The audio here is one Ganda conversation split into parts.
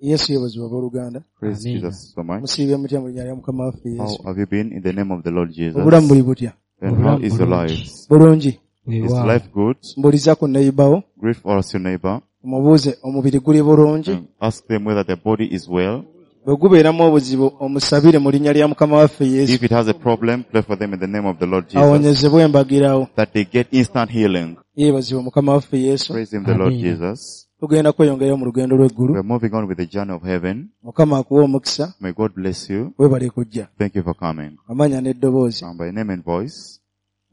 Yesu yeebazibwe abooluganda. Praise Amen. Jesus so much. Musiibye mutya mu linnya lya Mukama waffe How Yesu? have you been in the name of the Lord Jesus? Obulamu buli butya? And how is your life? Bulungi. Is life good? Mbuuliza ku neighbour Greet for us your neighbor. omubuuze omubiri guli bulungi. And ask them whether their body is well. Bwe gubeeramu obuzibu omusabire mu linnya lya Mukama waffe Yesu. If it has a problem, pray for them in the name of the Lord Jesus. Awonyezebwe embagirawo. That they get instant healing. Yeebazibwe Mukama waffe Yesu. Praise him, the Lord Amen. Jesus. Tugenda kweyongerayo mu lugendo lw'eggulu. We are moving on with the journey of heaven. Mukama akuwe omukisa. May God bless you. Weebale kujja. Thank you for coming. Amanya n'eddoboozi. And by name and voice.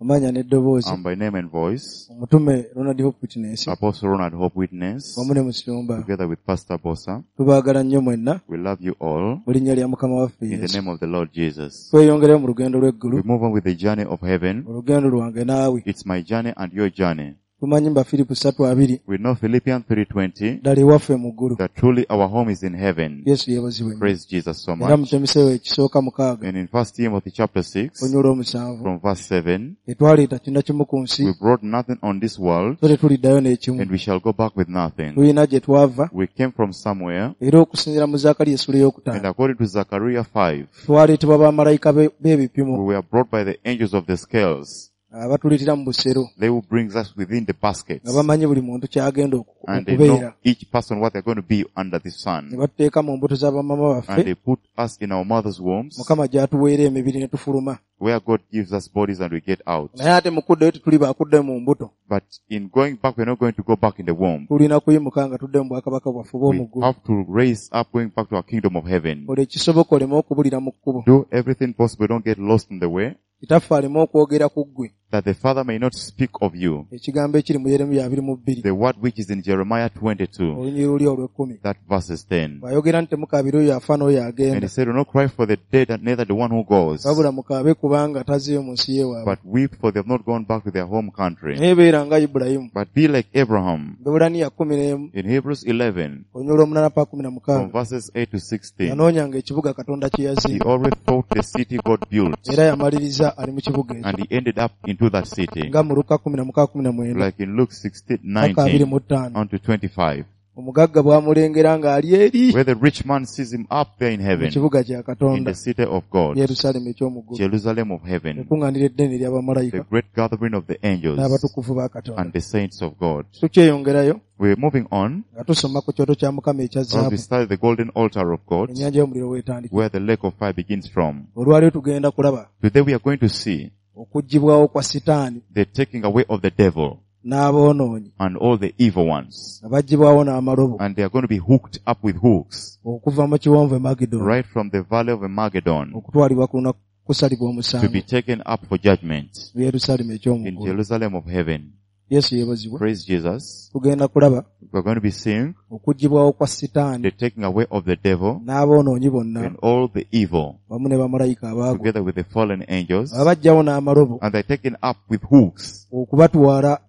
Amanya n'eddoboozi. And by name and voice. Omutume Ronald Hope Witness Apostle Ronald Hope Witness. wamu ne Musumba. Together with Pastor Bosa. Tubaagala nnyo mwenna We love you all. mu linnya lya Mukama waffe In the Yesu. name of the Lord Jesus. Tweyongereyo mu lugendo lw'eggulu. We move on with the journey of heaven. Olugendo lwange naawe. It's my journey and your journey. Tumanyi Bafiripo 3:20 We know Philippians 3:20 ddala ewaffe mu ggulu. that truly our home is in heaven. Yesu yeebazibwe nnyo. Praise Jesus so Era much. mu Timoseewo ekisooka 6 And in 1 Timothy chapter 6 olunyiriri 7 from verse 7, tetwaleeta kintu kimu ku nsi we brought nothing on this world so tetuliddayo n'ekimu. and we shall go back with nothing. Tulina gye twava We came from somewhere, era okusinziira mu Zaakaliya essula and ey'okutaano according to Zechariah 5, twaleetebwa bamalayika b'ebipimo we were brought by the angels of the scales. abatuleetera mu busero They will bring us within the baskets. nga bamanyi buli muntu ky'agenda And they know okubeera each person what they're going to be under the ne sun. batuteeka mu mbuto za bamama And baffe they put us in our mother's wombs, Mukama gy'atuweera emibiri ne tufuluma. where God gives us bodies and we get out. Naye ate mu kuddayo tetuli baakuddayo mu mbuto. But in going back, we're not going to go back in the womb. Tulina kuyimuka nga tudde mu bwakabaka bwaffe We obw'omu ggulu. have to raise up going back to our kingdom of heaven. Kola ekisoboka oleme okubulira mu kkubo. Do everything possible, don't get lost in the way, Kitaffe aleme okwogera ku ggwe that the Father may not speak of you. ekigambo ekiri mu Yeremiya 22 The word which is in Jeremiah 22, olunyiriri luli olw'ekkumi. that verses 10. Bw'ayogera nti temukaabira oyo afa n'oyo And agenda he said, do not cry for the dead and neither the one who goes, wabula mukaabe kubanga tazeeyo mu nsi yeewaabwe. but weep for they have not gone back to their home country. Naye beera nga Ibulayimu. But be like Abraham. Abaebbulaniya 11 In Hebrews 11, olunyiriri 8 paka from 16 verses 8 to 16, yanoonyanga ekibuga Katonda kye he yazimba always thought the city God built, era yamaliriza ali mu kibuga ekyo and he ended up into that city. nga mu Luka 16:19 Like in Luke 16, paka 19 25. on to 25, Omugagga bw'amulengera ng'ali eri where the rich man sees him up there in mu heaven, kibuga kya in Katonda the city of God, Yerusaalemi eky'omu ggulu, Jerusalem of heaven, ekuŋŋaaniro eddene the ery'abamalayika great gathering of the angels n'abatukuvu ba Katonda. and the saints of God. Tukyeyongerayo We're moving on nga tusoma ku kyoto kya Mukama ekya as we zaabu study the golden altar of God, ennyanja y'omuliro weetandikira. where the lake of fire begins from. Olwaleero tugenda kulaba Today we are going to see okuggyibwawo kwa Sitaani the taking away of the devil n'aboonoonyi and all the evil ones. nga baggyibwawo n'amalobo And they are going to be hooked up with hooks okuva mu kiwonvu e Magidoni right from the valley of Armageddon okutwalibwa ku lunaku kusalibwa to omusango be taken up for judgment mu Yerusaalemi eky'omu in ggulu. Jerusalem of heaven. Yesu yeebazibwe. Praise Jesus. Tugenda kulaba We're going to be seeing okuggyibwawo kwa Sitaani the taking away of the devil n'aboonoonyi bonna and all the evil wamu ne bamalayika abaagwa together with the fallen angels, abaggyawo n'amalobo and they're taken up with hooks okubatwala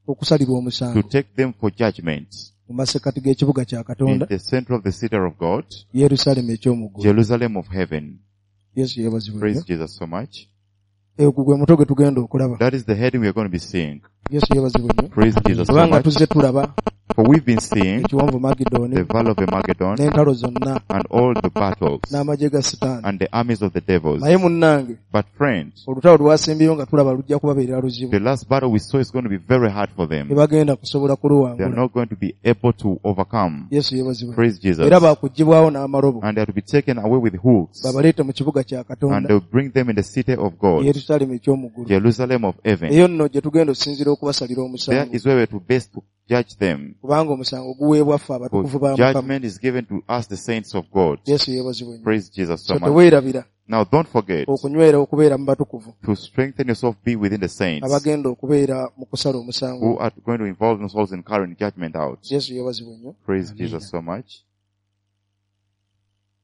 okusalibwa to omusango take them for judgment mu masekkati g'ekibuga kya in Katonda the center of the city of God, Yerusaalemi eky'omu ggulu. Jerusalem of heaven. Yesu yeebazibwe Praise nnyo. Jesus so much. Ogwo gwe mutwe gwe tugenda okulaba. That is the heading we are going to be seeing. Yesu yeebazibwe nnyo. Praise Jesus so Kubanga much. tuzze tulaba For we've been seeing ekiwonvu Magidoni the valley of Armageddon n'entalo zonna and all the battles n'amagye ga Sitaani. and the armies of the devils. Naye munnange But friends, olutalo lwasembyeyo nga tulaba lujja kubabeerera luzibu. the last battle we saw is going to be very hard for them. Tebagenda kusobola They are kuluwangula. not going to be able to overcome. Yesu yeebazibwe. Praise Jesus. Era baakuggyibwawo n'amalobo And they are to be taken away with hooks. babaleete mu kibuga kya And Katonda they'll bring them in the city of God, Yerusaalemi eky'omu ggulu. Jerusalem of heaven. Eyo nno gye tugenda okusinziira okubasalira There omusango is where we're to best to judge them. kubanga omusango guweebwa ffe For abatukuvu ba Mukama. judgment is given to us, the saints of God. Yesu yeebazibwe nnyo. Praise Jesus so So much. teweerabira Now don't forget okunywera okubeera mu batukuvu to strengthen yourself, be within the saints abagenda okubeera mu kusala omusango. who are going to involve themselves in carrying judgment out. Yesu yeebazibwe nnyo. Praise Amen. Jesus so much.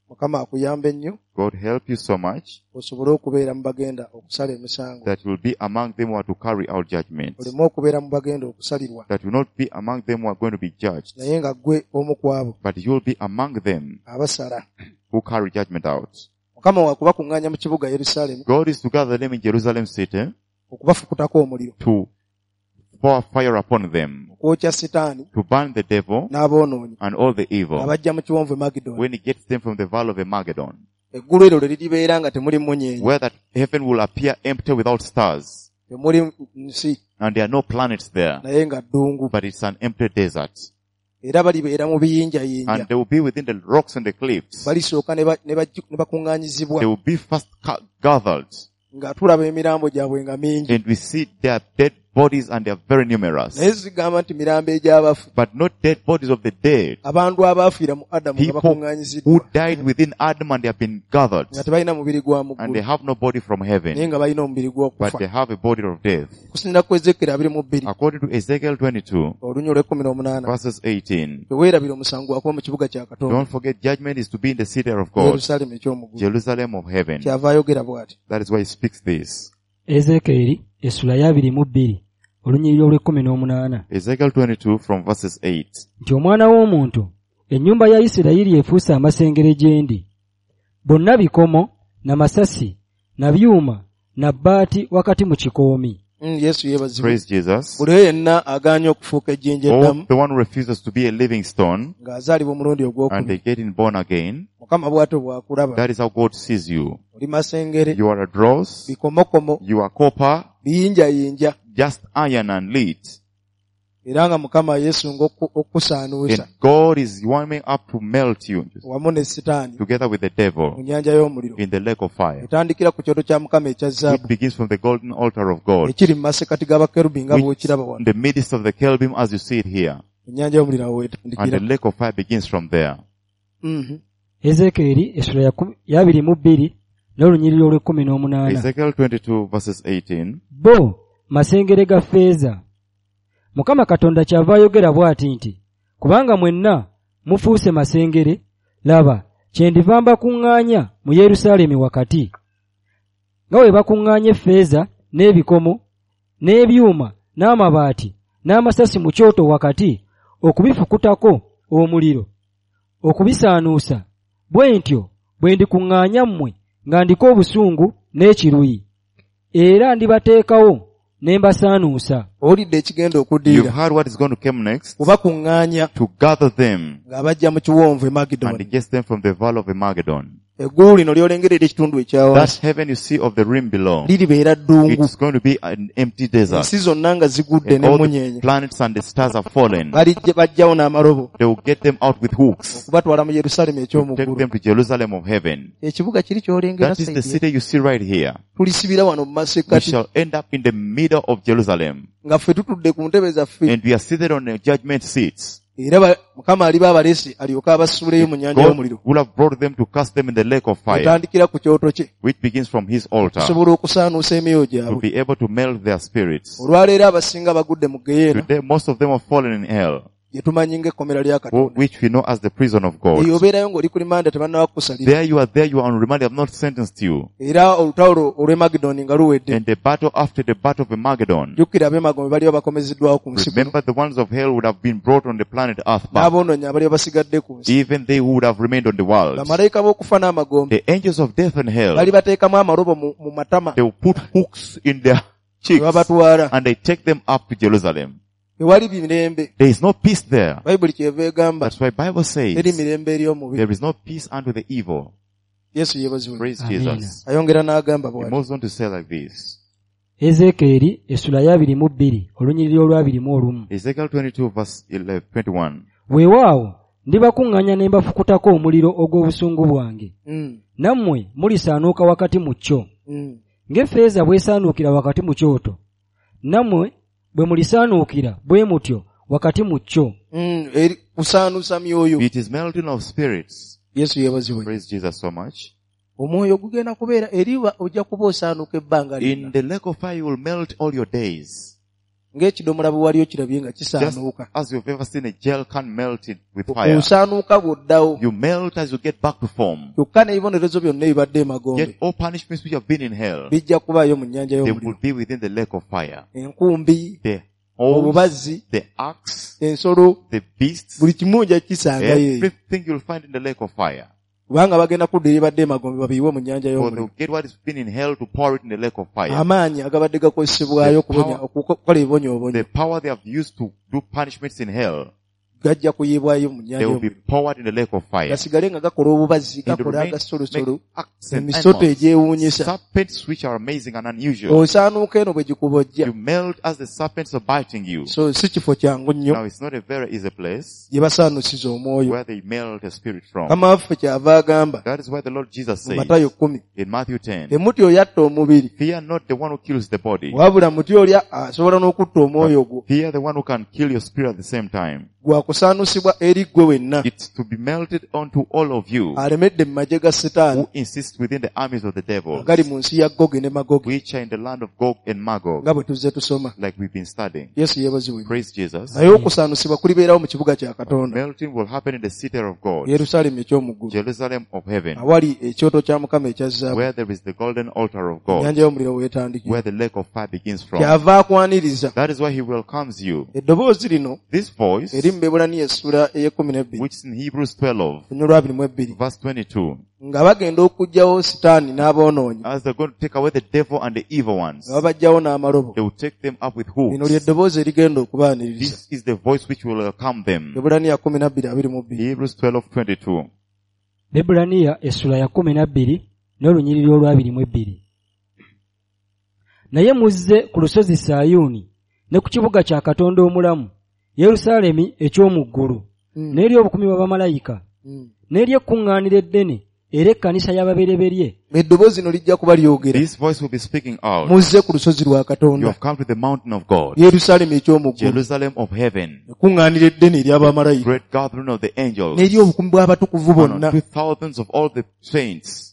Mukama akuyambe nnyo God help you so much osobole okubeera mu bagenda okusala emisango. that you'll be among them who are to carry out judgment. Oleme okubeera mu bagenda okusalirwa That you'll not be among them who are going to be judged, naye nga ggwe omu ku abo but you'll be among them abasala. who carry judgment out. Mukama wakubakuŋŋaanya mu kibuga Yerusaalemi God is to gather them in Jerusalem city okubafukutako omuliro to pour fire upon them, okwokya sitaani to burn the devil n'aboonoonyi and all the evil, abajja mu kiwonvu e Magidoni. when he gets them from the valley of Armageddon, Eggulu eryo lwe liribeera nga temuli mmunyeenye, where that heaven will appear empty without stars, temuli nsi, and there are no planets there, naye nga ddungu. but it's an empty desert. Era balibeera mu biyinjayinja. And they will be within the rocks and the cliffs. Balisooka ne bakuŋŋaanyizibwa. They will be first gathered. Nga tulaba emirambo gyabwe nga mingi. And we see their dead bodies, and they are very numerous. Naye zigamba nti mirambo egy'abafu. But not dead bodies of the dead. Abantu abaafiira mu Adamu nga People bakuŋŋaanyiziddwa. who died within Adam and they have been gathered. Nga tebalina mubiri gwa mu And they ggulu. have no body from heaven. Naye nga balina omubiri But gw'okufa. they have a body of death. Okusinziira ku Ezekiel 22. According to Ezekiel 22, Olunya olw'ekkumi n'omunaana. verses 18. Teweerabira omusango gwakuba mu kibuga kya Katonda. Don't forget, judgment is to be in the city of God, Yerusaalemi eky'omu ggulu. Jerusalem of heaven. Kyava ayogera bw'ati. That is why he speaks this. Ezekiel essula ya 22 olunyiriri olw'ekkumi n'omunaana. Ezekiel 22 from verses 8. Nti omwana w'omuntu, ennyumba ya Isirayiri efuuse amasengere gye ndi. Bonna bikomo, na masasi, na byuma, na bbaati wakati mu kikoomi. Yesu yeebazibwe. Praise Jesus. Buli oyo yenna agaanye okufuuka ejjinja All eddamu the one who refuses to be a living stone ng'azaalibwa omulundi and ogwokubiri. they getting born again, Mukama bw'atyo bw'akulaba. that is how God sees you. Oli masengere, You are a dross, bikomokomo, you are copper, biyinjayinja. just iron and lead. Era nga Mukama yeesunga okukusaanuusa And God is warming up to melt you wamu ne Sitaani together with the mu devil nnyanja y'omuliro. in the lake of fire, Etandikira ku kyoto kya Mukama ekya which zaabu begins from the golden altar of God, ekiri mu masekkati g'abakerubi nga which bw'okiraba wano. in the midst of the cherubim as you see it here. Ennyanja y'omuliro awo And wetandikira. the lake of fire begins from there. Ezekiel essula ya 22 n'olunyiriri olw'ekkumi n'omunaana. Ezekiel 22 verses 18. Bo masengere ga ffeeza. Mukama Katonda kyava ayogera bw'ati nti, kubanga mwenna mufuuse masengere, laba, kyendiva mbakuŋŋaanya mu Yerusaalemi wakati. Nga bwe bakuŋŋaanya effeeza n'ebikomo, n'ebyuma, n'amabaati, n'amasasi mu kyoto wakati, okubifukutako omuliro, okubisaanuusa, bwe ntyo bwe ndikuŋŋaanya mmwe nga ndiko obusungu n'ekiruyi. Era ndibateekawo ne mbasaanuusa. Owulidde ekigenda You've okuddirira. heard what is going to come next. Kubakuŋŋaanya To gather them ng'abajja mu kiwonvu e and Magidoni. gets them from the valley of Armageddon. Eggulu lino ly'olengera eri ekitundu ekya That wansi heaven you see of the rim below, liribeera ddungu. it's going to be an empty desert. Ensi zonna nga zigudde And all the n'emmunyeenye. planets and the stars have fallen. Bajjawo n'amalobo They will get them out with hooks okubatwala mu Yerusaalemi to eky'omu take ggulu. them to Jerusalem of heaven. Ekibuga kiri ky'olengera That is the sayidi. city you see right here. Tulisibira wano mu We masekkati shall end up in the middle of Jerusalem. nga ffe tutudde ku ntebe zaffe. And we are seated on the judgment seats. Era Mukama aliba abalese alyoke abasuuleyo mu nnyanja God y'omuliro. would have brought them to cast them in the lake of fire, Etandikira ku kyoto kye. which begins from his altar, Okusobola okusaanuusa emyoyo to gyabwe. be able to melt their spirits. Olwaleero abasinga bagudde mu ggeyeena Today, most of them have fallen in hell, gye tumanyi ng'ekkomera lya Katonda. which we know as the prison of God. Eyo obeerayo ng'oli ku limanda tebannaba kukusalira. There you are, there you are on remand, they have not sentenced you. Era olutalo olw'e Magidoni nga luwedde. And the battle after the battle of Armageddon, Jjukira ab'emagombe baliba bakomezeddwawo ku nsi kuno. remember the ones of hell would have been brought on the planet Earth back. N'aboonoonyi abaliba basigadde ku nsi. Even they who would have remained on the world. Bamalayika b'okufa n'amagombe The angels of death and hell, bali bateekamu amalobo mu matama they will put hooks in their ne cheeks babatwala. and they take them up to Jerusalem. Tewali mirembe. There is no peace there. Bayibuli kyeva egamba That's why Bible teri says mirembe eri omubi. there is no peace unto the evil. Yesu yeebazibwe. Praise Amen. Jesus. Ayongera n'agamba He bw'ati. moves on to say like this. Ezekiel essula ya 22 olunyiriri olwa 21. Ezekiel 22 verse 11, 21. Weewaawo ndibakuŋŋaanya ne mbafukutako omuliro ogw'obusungu bwange. Nammwe mulisaanuuka wakati mu kyo. Ng'effeeza bw'esaanuukira wakati mu kyoto. Nammwe bwe mulisaanuukira bwe mutyo wakati mu kyo. Eri kusaanuusa myoyo. It is melting of spirits. Yesu yeebazibwe. Praise Jesus so much. Omwoyo gugenda kubeera eri ojja kuba osaanuuka ebbanga In lyonna. the lake of fire you will melt all your days. Ng'ekidomola bwe wali okirabye nga Just kisaanuuka. as you've ever seen a gel can melt it with fire. Osaanuuka bw'oddawo. You melt as you get back to form. Kyokka n'ebibonerezo byonna ebibadde emagombe Yet all punishments which have been in hell, bijja kubaayo mu nnyanja they y'omuliro. will be within the lake of fire. Enkumbi, The holes, obubazzi, the axe, ensolo, the beasts, buli kimu ojja kisangayo eyo. everything you'll find in the lake of fire. Kubanga bagenda kudda eribadde emagombe babiyiwe mu nnyanja For y'omuliro. they'll get what has been in hell to pour it in the lake of fire. Amaanyi agabadde gakozesebwayo The power- okukola ebibonyoobonyo The power they have used to do punishments in hell, gajja kuyiibwayo mu nnyanja they will be y'omuliro. poured in the lake of fire. Gasigale nga gakola obubazi, And gakola remain, agasolosolo, make acts and emisoto animals, egyewuunyisa. serpents which are amazing and unusual. Osaanuuka eno bwe gikubojja. You melt as the serpents are biting you. So si kifo kyangu nnyo Now it's not a very easy place gye basaanuusiza omwoyo. where they melt a spirit from. Mukama waffe kyava agamba That is why the Lord Jesus mu says Matayo 10, in Matthew 10, temutya oyo atta omubiri, fear not the one who kills the body, wabula mutya oli asobola n'okutta omwoyo gwo. fear the one who can kill your spirit at the same time. Gwakusaanusibwa eri ggwe wenna It's to be melted onto all of you alemedde mu magye ga Setaani who insist within the armies of the devil, agali mu nsi ya Gogi ne Magogi, which are in the land of Gog and Magog, nga bwe tuzze tusoma. like we've been studying. Yesu yeebazibwe. Praise Jesus. Naye okusaanusibwa kulibeerawo mu kibuga kya Katonda, Melting will happen in the city of God, Yerusaalemi eky'omu ggulu, Jerusalem of heaven, awali ekyoto kya Mukama ekya zaabu, where there is the golden altar of God, ennyanja y'omuliro weetandikira. where the lake of fire begins from. Kyava akwaniriza. That is why he welcomes you. Eddoboozi lino This voice, eri mu Bebbulaniya essula ey'ekkumi n'ebbiri, which is in Hebrews 12, olunyiriri lwa abiri mu ebbiri, verse 22, nga bagenda okuggyawo Sitaani n'aboonoonyi, as they're going to take away the devil and the evil ones, nga babaggyawo n'amalobo. they will take them up with Lino hooks. lye ddoboozi erigenda okubaaniriza. This is the voice which will welcome them. Bebbulaniya 12:22. Hebrews 12:22. Bebbulaniya essula ya 12 n'olunyiriri olw'abiri mu ebbiri. Naye muzze ku lusozi Sayuuni ne ku kibuga kya Katonda omulamu, Yerusaalemi eky'omu ggulu, n'eri obukumi bwa bamalayika, n'eri ekkuŋŋaaniro eddene era ekkanisa y'ababereberye, Eddoboozi lino lijja kuba lyogera. This voice will be speaking out. Muzze ku lusozi lwa You Katonda, have come to the mountain of God, Yerusaalemi eky'omu ggulu, Jerusalem of heaven, ekkuŋŋaaniro eddene ery'abamalayika, great gathering of the angels, n'eri obukumi bw'abatukuvu and bonna. unto thousands of all the saints.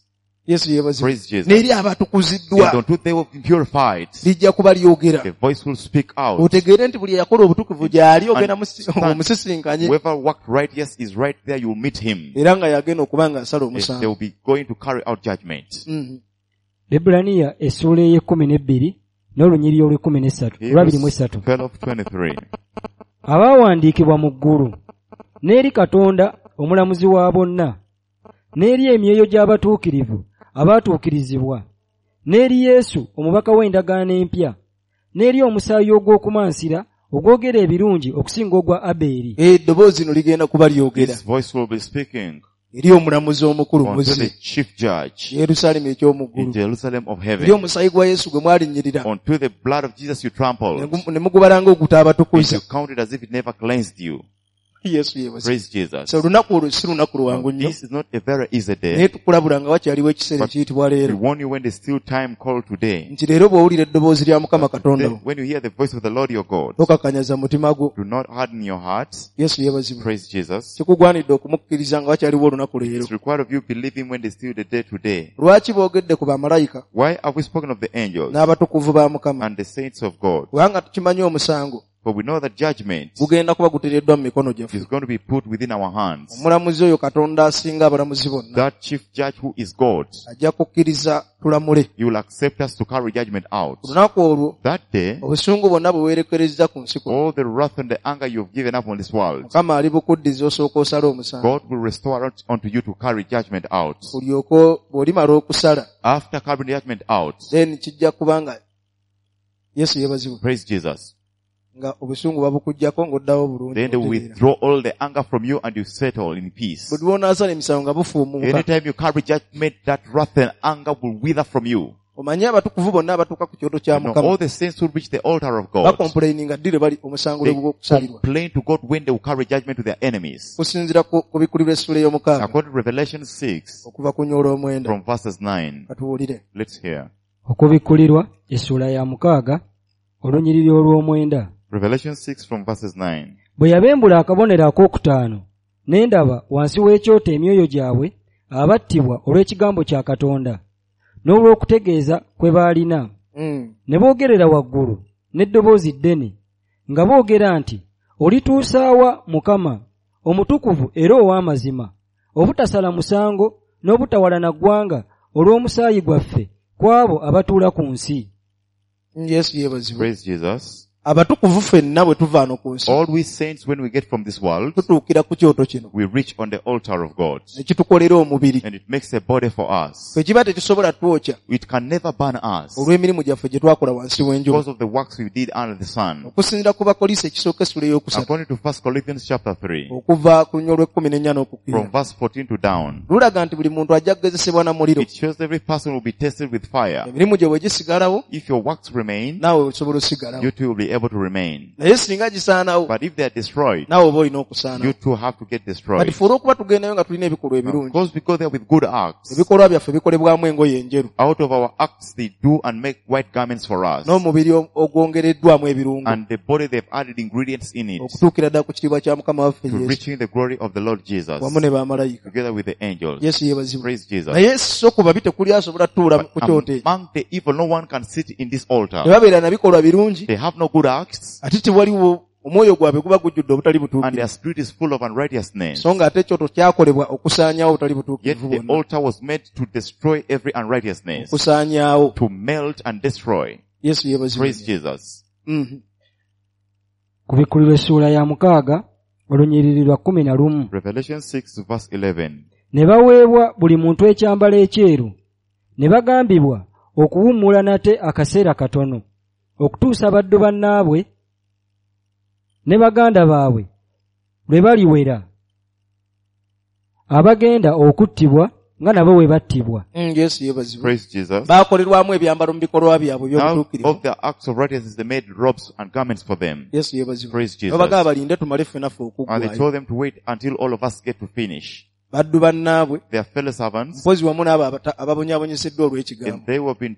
Yesu yeebazibwe. Praise Jesus. N'eri abatukuziddwa, And unto they will be purified. lijja kuba lyogera. The voice will speak out. Otegeere nti buli eyakola obutukuvu gy'ali ogenda And omusisinkanye, Whoever worked righteous is right there, you will meet him. era nga yagenda okuba ng'asala They omusango. will be going to carry out judgment. Bebbulaniya essuula ey'ekkumi n'ebbiri n'olunyiriri olw'ekkumi n'essatu, olw'abiri mu Hebrews essatu. 12:23. Abaawandiikibwa mu ggulu, n'eri Katonda omulamuzi wa bonna, n'eri emyoyo gy'abatuukirivu abaatuukirizibwa, n'eri Yesu omubaka w'endagaano empya, n'eri omusaayi ogw'okumansira ogwogera ebirungi okusinga ogwa Abeeri. Eddoboozi lino ligenda kuba lyogera This voice will be speaking eri omulamuzi omukulu unto the muzze, chief judge Yerusaalemi eky'omu in ggulu, Jerusalem of eri heaven, omusaayi gwa Yesu gwe mwalinnyirira unto the blood of Jesus you trampled, ne mugubala and ng'ogutaabatukuza. you counted as if it never cleansed you. Yesu yeebazibwe. Praise Jesus. So olunaku olwo si lunaku lwangu nnyo, This is not a very easy naye day. tukulabula nga wakyaliwo ekiseera But ekiyitibwa We leero, warn you when there's still time called today. nti leero bw'owulira eddoboozi lya Mukama Katonda Then wo, when you hear the voice of the Lord your God, tokakanyaza mutima gwo. do not harden your heart. Yesu yeebazibwe. Praise Jesus. Kikugwanidde okumukkiriza nga wakyaliwo olunaku leero. It's required of you believe him when there's still the day today. Lwaki boogedde ku bamalayika Why have we spoken of the angels n'abatukuvu ba Mukama? and the saints of God? Kubanga tukimanyi omusango For we know that judgment gugenda kuba guteereddwa mu mikono gyaffe. is going to be put within our hands. Omulamuzi oyo Katonda asinga abalamuzi bonna That chief judge who is God, ajja kukkiriza tulamule. he will accept us to carry judgment out. Ku lunaku olwo That day, obusungu bwonna bwe weerekerezza ku nsi kuno, all the wrath and the anger you've given up on this world, Mukama alibukuddiza osooka osale omusango. God will restore unto you to carry judgment out. Olyoke bw'olimala okusala, After carrying judgment out, then kijja kuba nga Yesu yeebazibwe, praise Jesus. nga obusungu babukuggyako ng'oddawo bulungi. Then they will otereera. withdraw all the anger from you and you settle in peace. Buli lw'onaasala emisango nga bufuumuuka. Anytime you carry judgment, that wrath and anger will wither from you. Omanyi abatukuvu bonna abatuuka ku kyoto kya You know, Mukama all the saints who reach the altar of God, bakompuleyininga ddi lwe bali omusango they lwe gw'okusalirwa. complain to God when they will carry judgment to their enemies. Kusinziira ku bikulirwa essula ey'omukaaga According to Revelation 6, okuva ku nnyoola omwenda. from verses 9. Katuwulire. Let's hear. Okubikkulirwa essuula ya mukaaga olunyiriri olw'omwenda. Revelation 6 from verses 9. Bwe yabembula akabonero akookutaano, ne ndaba wansi w'ekyoto emyoyo gyabwe abattibwa olw'ekigambo kya Katonda n'olw'okutegeeza kwe baalina. Ne boogerera waggulu n'eddoboozi ddene nga boogera nti, Olituusa wa Mukama, omutukuvu era ow'amazima, obutasala musango n'obutawalana ggwanga olw'omusaayi gwaffe ku abo abatuula ku nsi. Yesu yeebazibwe. Praise Jesus. Abatukuvu ffenna bwe tuva wano ku nsi All we saints, when we get from this world, tutuukira ku kyoto kino we reach on the altar of God. ne kitukolera omubiri. And it makes a body for us. Ffe kiba tekisobola twokya It can never burn us olw'emirimu gyaffe gye twakola wansi w'enjuba. because of the works we did under the sun. Okusinziira ku Bakolinso ekisooka essula ey'okusatu According to 1 Corinthians chapter 3, okuva ku lunya olw'ekkumi n'ennya n'okukkirira from verse 14 to down, lulaga nti buli muntu ajja kugezesebwa na muliro. it shows every person will be tested with fire. Emirimu gye bwe gisigalawo If your works remain, naawe osobola osigalawo. you too will be able to remain. Naye singa gisaanawo But if they are destroyed, naawe oba olina you okusaanawo. too have to get Kati destroyed. ffe olw'okuba tugendayo nga tulina ebikolwa Now, ebirungi because we go there with good acts, ebikolwa byaffe bikolebwamu engoye enjeru out of our acts they do and make white garments for us. n'omubiri ogwongereddwamu ebirungo And the body they've added ingredients in it okutuukira ddala ku kitiibwa kya Mukama waffe to Yesu reaching the glory of the Lord Jesus wamu ne bamalayika. together with the angels. Yesu yeebazibwe. Praise Jesus. Naye so ku babi tekuli asobola tutuula But ku kyoto ekyo. among the evil, no one can sit in this altar. Tebabeera na bikolwa birungi They have no good acts ate tewaliwo omwoyo gwabwe guba gujjudde obutali and butuukirivu. their spirit is full of unrighteousness. So ng'ate ekyoto kyakolebwa okusaanyaawo obutali Yet butuukirivu the bwonna. altar was made to destroy every unrighteousness, Okusaanyaawo. to melt and destroy. Yesu yeebazibwe. Praise Jesus. Kubikkulirwa essuula ya mukaaga olunyiriri lwa 11. Revelation 6 verse 11. Ne baweebwa buli muntu ekyambalo ekyeru ne bagambibwa okuwummula nate akaseera katono okutuusa baddu bannaabwe ne baganda baabwe lwe baliwera abagenda okuttibwa nga nabo bwe battibwa. Yesu yeebazibwe. Praise Jesus. Baakolerwamu ebyambalo mu bikolwa byabwe Out eby'obutuukirivu. of their acts of righteousness, they made robes and garments for them. Yesu yeebazibwe. Praise Jesus. Babagamba balinde tumale ffenna ffe And they okuggwayo. told them to wait until all of us get to finish. Baddu bannaabwe Their fellow servants, mpozi wamu n'abo ababonyaabonyeseddwa olw'ekigambo. and they were being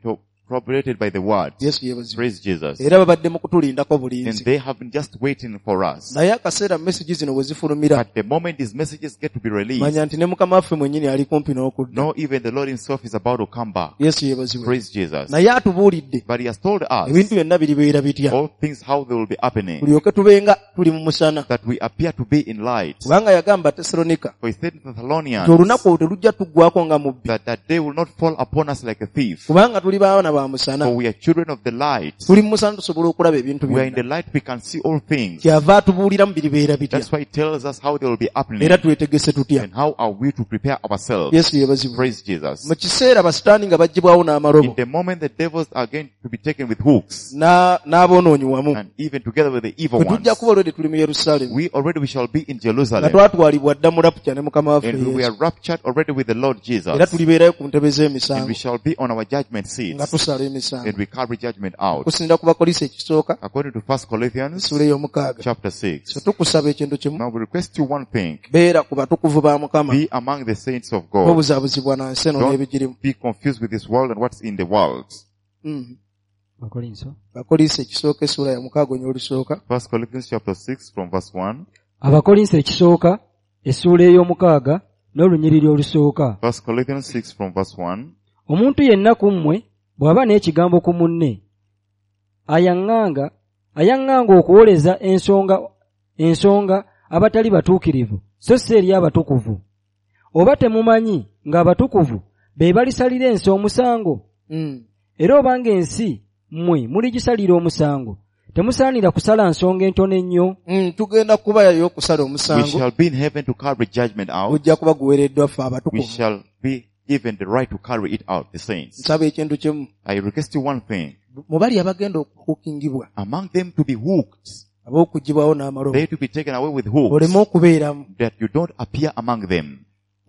corroborated by the word. Yesu yeebazibwe. Praise Jesus. Era babadde mu kutulindako And bulinzi. they have been just waiting for us. Naye akaseera mesegi zino bwe zifulumira But the moment these messages get to be released, manya nti ne Mukama waffe mwennyini ali kumpi n'okudda. no, even the Lord himself is about to come back. Yesu yeebazibwe. Praise Jesus. Naye atubuulidde But he has told us ebintu byonna biribeera bitya all things how they will be happening, tulyoke tubenga tuli mu musana. that we appear to be in light. Kubanga yagamba Tesalonika For he said in nti Thessalonians olunaku olwo telujja tuggwako nga mubbi that that day will not fall upon us like a thief. kubanga tuli baana ba musana. For we are children of the light. Tuli mu musana tusobola okulaba ebintu We are in byonna. the light, we can see all things. Kyava atubuuliramu biribeera bitya That's why he tells us how they will be happening era twetegese tutya. and how are we to prepare ourselves. Yesu yeebazibwe. Praise Jesus. Mu kiseera basitaani nga baggyibwawo n'amalobo In the moment the devils are going to be taken with hooks n'aboonoonyi wamu and even together with the evil bwe tujja ones, kuba olwedde tuli mu Yerusaalemi we shall be in nga Jerusalem twatwalibwa dda mu rapture ne Mukama waffe and we Yesu are raptured already with the Lord era Jesus tulibeerayo ku ntebe and z'emisango we shall be on our judgment nga seats tusala emisango. and we carry judgment out. Okusinziira ku Bakolinso ekisooka According to 1 Corinthians essuula ey'omukaaga. chapter 6. So tukusaba ekintu kimu Now we request you one thing. beera ku batukuvu ba Mukama Be among the saints of God. tobuzaabuzibwa na nsi eno Don't n'ebigirimu. be confused with this world and what's in the world. Abakolinso. Bakolinso ekisooka essuula ya mukaaga onyo olusooka 1 Corinthians chapter 6 from verse 1. Abakolinso ekisooka essuula ey'omukaaga n'olunyiriri olusooka. 1 Corinthians 6 from verse 1. Omuntu yenna ku mmwe bw'aba n'ekigambo ku munne ayaŋŋanga okuwoleza ensonga abatali batuukirivu so si eri abatukuvu. Oba temumanyi ng'abatukuvu be balisalira ensi omusango? Era obanga ensi mmwe muligisalira omusango temusaanira kusala nsonga entono ennyo? Tugenda kubayayo okusala We omusango shall be in heaven to carry judgment out. gujja kuba guweereddwa ffe We abatukuvu. shall be given the right to carry it out, the saints. Nsaba ekintu kimu I request you one thing. mu bali abagenda okuhukingibwa Among them to be hooked, ab'okuggyibwawo n'amalobo they to be taken away with hooks, oleme okubeeramu that you don't appear among them.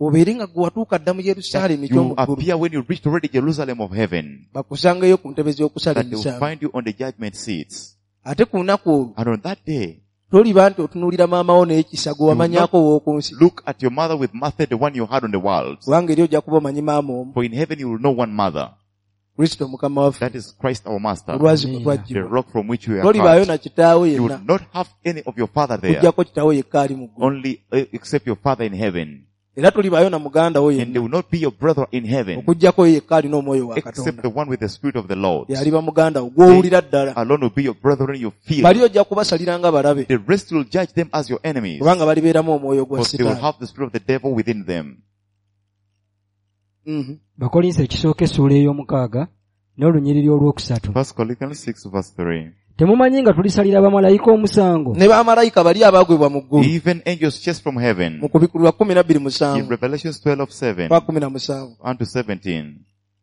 obeere nga gwe watuuka dda mu That Yerusaalemi you eky'omu ggulu appear when you reached already Jerusalem of heaven. bakusangeyo ku ntebe z'okusala That they will emisango. find you on the judgment seats. Ate ku lunaku olwo And on that day, toliba nti otunuulira maama wo n'ekisa gwe wamanyaako ow'oku nsi look at your mother with Martha, the one you had on the world. kubanga eri ojja kuba omanyi maama omu For in heaven you will know one mother. Kristo Mukama waffe That is Christ our Master, olwazi kwe the twaggyibwa. rock from which we are Tolibaayo cut. na kitaawo You yenna will not have any of your father there, okuggyako kitaawo yekka ali mu ggulu only except your father in heaven. era tolibaayo na muganda wo And yenna there will not be your brother in heaven, okuggyako ye yekka alina omwoyo wa except Katonda the one with the Spirit of the Lord. yaliba muganda wo gw'owulira ddala. Alone will be your brethren you feel. Bali ojja kubasalira nga balabe The rest will judge them as your enemies, kubanga balibeeramu omwoyo gwa because they will Sitaani. have the spirit of the devil within them. Bakolinso ekisooka essuula ey'omukaaga n'olunyiriri olwokusatu. 1 Corinthians 6 verse 3. Temumanyi nga tulisalira bamalayika omusango? Ne bamalayika bali abaagwebwa mu ggulu. Even angels chased from heaven. Mu Kubikulirwa 12 In 7. Revelations 12:7 Kwa 17. 1 to 17.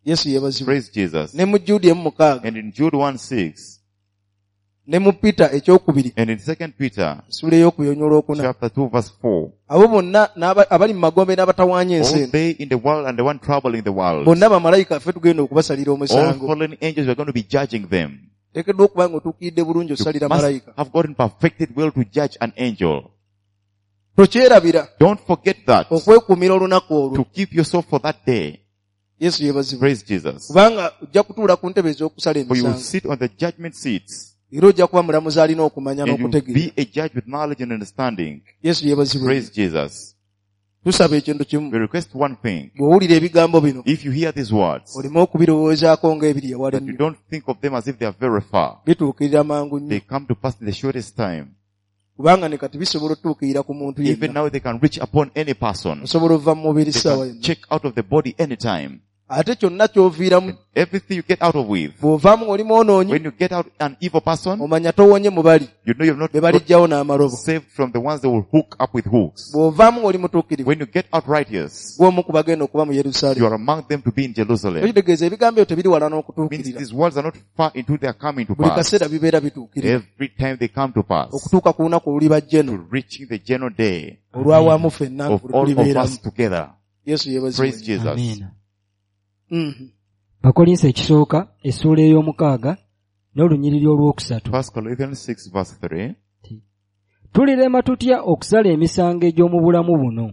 Yesu yeebazibwe. Praise Jesus. Ne mu Jude 1:6. And in Jude 1:6. Ne mu Peter ekyokubiri. And in 2 Peter Essula ey'okubiri olwokuna. chapter 2 verse 4. Abo bonna abali mu magombe n'abatawaanya ensi All eno. they in the world and the one troubling the world. Bonna bamalayika ffe tugenda okubasalira All omusango. fallen angels are going to be judging them. Teekeddwa okuba ng'otuukiridde bulungi You osalira must malayika. have gotten perfected will to judge an angel. Tokyerabira Don't forget that. okwekuumira olunaku olwo. To keep yourself for that day. Yesu yeebazibwe. Praise Jesus. Kubanga ojja kutuula ku ntebe ez'okusala For you will emisango. sit on the judgment seats. Era ojja kuba mulamuzi alina okumanya And you will n'okutegeera. be a judge with knowledge and understanding. Yesu yeebazibwe. Praise Jesus. Tusaba ekintu kimu. We request one thing. Bw'owulira ebigambo bino, If you hear these words, oleme okubirowoozaako ng'ebiri ewala that you ennyo. don't think of them as if they are very far. Bituukirira mangu They nnyo. come to pass in the shortest time. Kubanga ne kati bisobola otuukirira ku muntu Even yenna. now they can reach upon any person. Osobola ova mu mubiri They ssaawa can yonna. check out of the body anytime. Ate kyonna ky'oviiramu, Everything you get out of with, bw'ovaamu ng'oli mwonoonyi, when you get out an evil person, omanya towonye mu bali you know you've not be got baliggyawo n'amalobo. saved from the ones that will hook up with hooks. Bw'ovaamu ng'oli mutuukirivu, When you get out righteous, gw'omu ku bagenda okuba mu you Yerusaalemi. are among them to be in Jerusalem. Ekitegeeza ebigambo ebyo tebiri wala Means n'okutuukirira. these words are not far into their coming to Buli pass. kaseera bibeera bituukirira. Every time they come to pass, Okutuuka ku lunaku olulibajja eno, to reaching the general day olwawamu ffenna of all of tulibeeramu. us together. Yesu yeebazibwe. Praise Jesus. Amiina. Mhm. Bakolinso ekisooka essuula ey'omukaaga n'olunyiriri olwokusatu. 1 Corinthians 6 verse 3. Tulirema tutya okusala emisango egy'omu bulamu buno?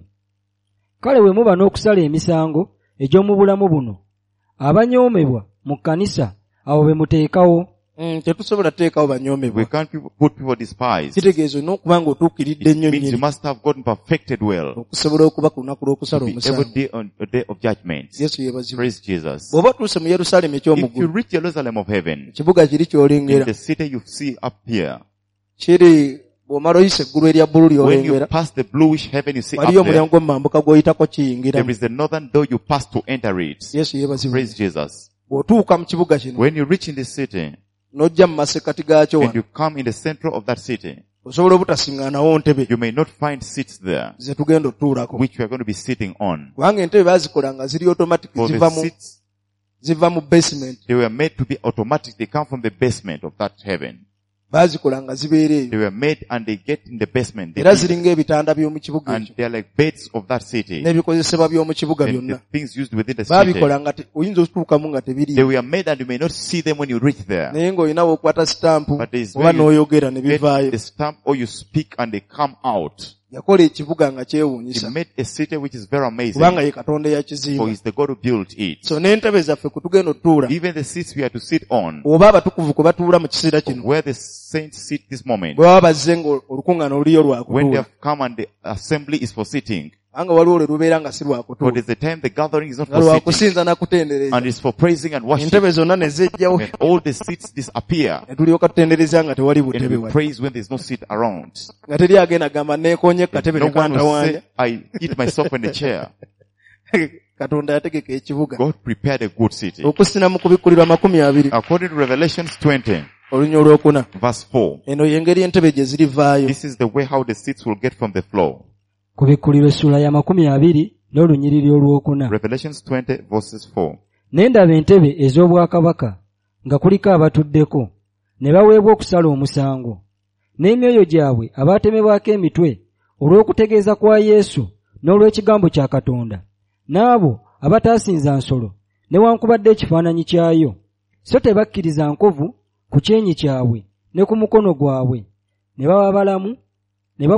Kale bwe muba n'okusala emisango egy'omu bulamu buno, abanyoomebwa mu kkanisa abo be muteekawo. Tetusobola kuteekawo banyoomebwa. We can't put people despise. Kitegeeza olina okuba ng'otuukiridde It ennyo means you nnyini must have gotten perfected well okusobola okuba ku lunaku lw'okusala to be omusango. every day on the day of judgment. Yesu yeebazibwe. Praise Jesus. Bw'oba otuuse mu Yerusaalemi eky'omu If you ggulu, reach Jerusalem of heaven, ekibuga kiri in ky'olengera the city you see up here, kiri bw'omala oyisa eggulu erya bbulu when you ly'olengera, pass the bluish heaven you see up waliyo there, omulyango gw'omumambuka gw'oyitako kiyingiramu. there is the northern door you pass to enter it. Yesu yeebazibwe. Praise Jesus. Bw'otuuka mu kibuga kino, When you reach in the city n'ojja mu masekkati gaakyo and wano, you come in the center of that city, osobola obutasiŋŋaanawo ntebe you may not find seats there, ze tugenda otutuulako. which we are going to be sitting on. Kubanga entebe baazikola nga ziri automatic For ziva the mu seats, ziva mu basement. they were made to be automatic. They come from the basement of that heaven. Baazikola nga zibeera eyo. They were made and they get in the basement. They Era eat. ziringa ebitanda by'omu kibuga And ekyo they are like beds of that city. n'ebikozesebwa by'omu kibuga And byonna. the things used within the city. Baabikola nga oyinza okutuukamu nga They tebiriiyo. were made and you may not see them when you reach there. Naye ng'olina w'okwata sitampu But there is oba where you n'oyogera ne get bivaayo. the stamp or you speak and they come out. Yakola ekibuga nga He kyewuunyisa made a city which is very amazing. kubanga ye Katonda For eyakizimba. he's the God who built it. So n'entebe zaffe kwe tugenda otutuula Even the seats we are to sit on, oba abatukuvu kwe batuula mu kiseera kino where the saints sit this moment, bwe baba bazze ng'olukuŋŋaana oluliyo when they lwakutuula. have come and the assembly is for sitting. Kubanga waliwo lwe lubeera nga si For lwakutuula. there's a time the gathering is not Nga for sitting, lwakusinza na kutendereza. and it's for praising and worship. Entebe zonna ne zejjawo And all the seats disappear. ne tulyoka tutendereza nga tewali And butebe we wali. praise when there's no seat around. Nga teri agenda gamba neekoonye ku katebe No ne one will kantawaanya. say, I hit myself on the chair. Katonda yategeka ekibuga. God prepared a good city. Okusina mu kubikkulirwa 20 According to Revelations 20, olunya olwokuna. verse 4, Eno y'engeri entebe gye zirivaayo. this is the way how the seats will get from the floor. Kubikkulirwa essuula ya 20 n'olunyiriri olwokuna. Revelations 20, verses 4. Ne ndaba entebe ez'obwakabaka nga kuliko abatuddeko, ne baweebwa okusala omusango. N'emyoyo gyabwe abaatemebwako emitwe olw'okutegeeza kwa Yesu n'olw'ekigambo kya Katonda, n'abo abataasinza nsolo newankubadde ekifaananyi kyayo, so tebakkiriza nkovu ku kyenyi kyabwe ne ku mukono gwabwe, ne baba balamu, ne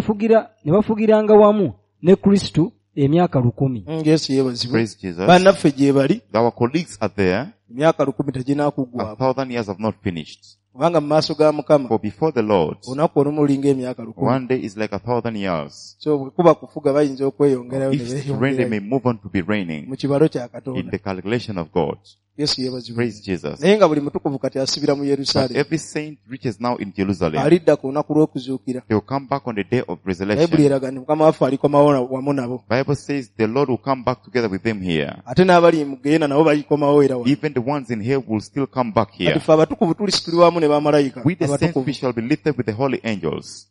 bafugiranga wamu ne Kristo emyaka 1000. Yesu yeebazibwe. Praise Jesus. Bannaffe gye bali Our colleagues are there. emyaka 1000 teginaakuggwako. 1,000 years have not finished. Kubanga mu maaso ga Mukama For before the Lord, olunaku olumu lulinga emyaka 1000. one day is like 1,000 years. So bwe kuba kufuga bayinza okweyongerayo ne If to reign, they beeyongerayo may move on to be reigning mu kibalo kya in Katonda. the calculation of God. Yesu yeebazibwe. Praise Jesus. Naye nga buli mutukuvu kati asibira mu But Yerusaalemi. every saint reaches now in Jerusalem. Alidda ku lunaku lw'okuzuukira. They will come back on the day of Bayibuli resurrection. eraga nti Mukama waffe alikomawo wamu nabo. Bible says the Lord will come back together with them here. Ate n'abali mu geyeena nabo balikomawo era wano. Even the ones in here will still come back Kati here. ffe abatukuvu tulisitulibwa wamu ne bamalayika We the saints, abatukuvu we shall be lifted with the holy angels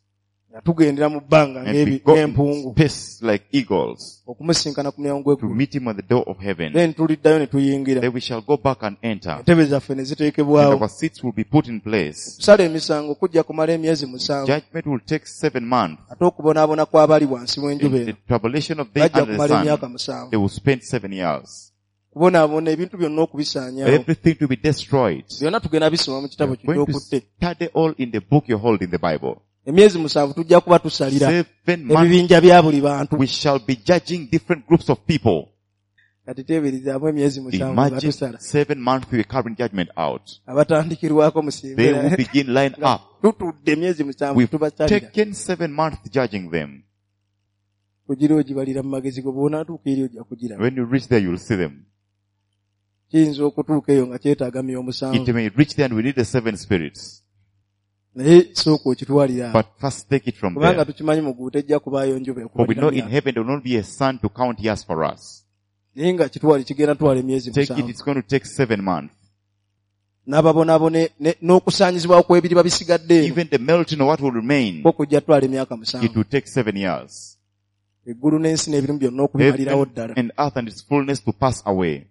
nga tugendera mu bbanga and we go in ng'empungu space like eagles okumusinkana ku mulyango to gw'eggulu. meet him on the door of heaven. Then tuliddayo ne tuyingira. Then we shall go back and enter. Entebe zaffe ne And ziteekebwawo. our seats will be put in place. Kusala emisango kujja kumala emyezi 7. Judgment will take 7 months. Ate okubonaabona kw'abali wansi w'enjuba In the eno tribulation of day bajja under the kumala emyaka sun, 7. they will spend 7 years. Kubonaabona ebintu byonna okubisaanyaawo. Everything to be destroyed. Byonna tugenda bisoma mu kitabo We are going to ky'okutte. study all in the book you hold in the Bible. Emyezi 7 tujja kuba tusalira 7 months ebibinja bya buli bantu. we shall be judging different groups of people. Kati teeberezaamu emyezi 7 nga Imagine tusala. 7 months we are carrying judgment out. Abatandikirwako They will musimbera. begin line up. Tutudde emyezi 7 We've tubasalira. taken 7 months judging them. Ogira ogibalira mu magezi go bw'onaatuuka eri ojja kugiraba. When you reach there, you'll see them. Kiyinza okutuuka eyo nga kyetaaga myoyo 7. It may reach there and we need the 7 spirits. Naye sooka okitwalira awo. But first take it from Kubanga there. tukimanyi mu ggulu tejja kubaayo njuba For we know in ekubalira. heaven there will not be a sun to count years for us. Naye nga kitwale kigenda twala emyezi Take it, 7. it's going to take 7 months. N'ababonaabone n'okusaanyizibwawo kw'ebiriba bisigadde eno Even the melting of what will remain, kwo kujja twala emyaka it 7. will take 7 years. Eggulu n'ensi n'ebirimu byonna okubimalirawo Heaven ddala. and earth and its fullness to pass away.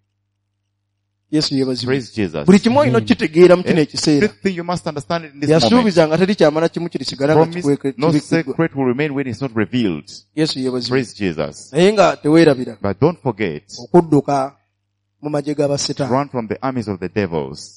Yesu yeebazibwe. Praise Jesus. Buli kimu olina okukitegeera mu kino ekiseera. Everything you must understand it in this moment. Yasuubiza nga teri kyamala kimu kirisigala nga Promise, no kibikiddwa. secret will remain when it's not revealed. Yesu yeebazibwe. Praise Jesus. Naye nga teweerabira But don't forget, okudduka mu magye g'abasitaani run from the armies of the devils.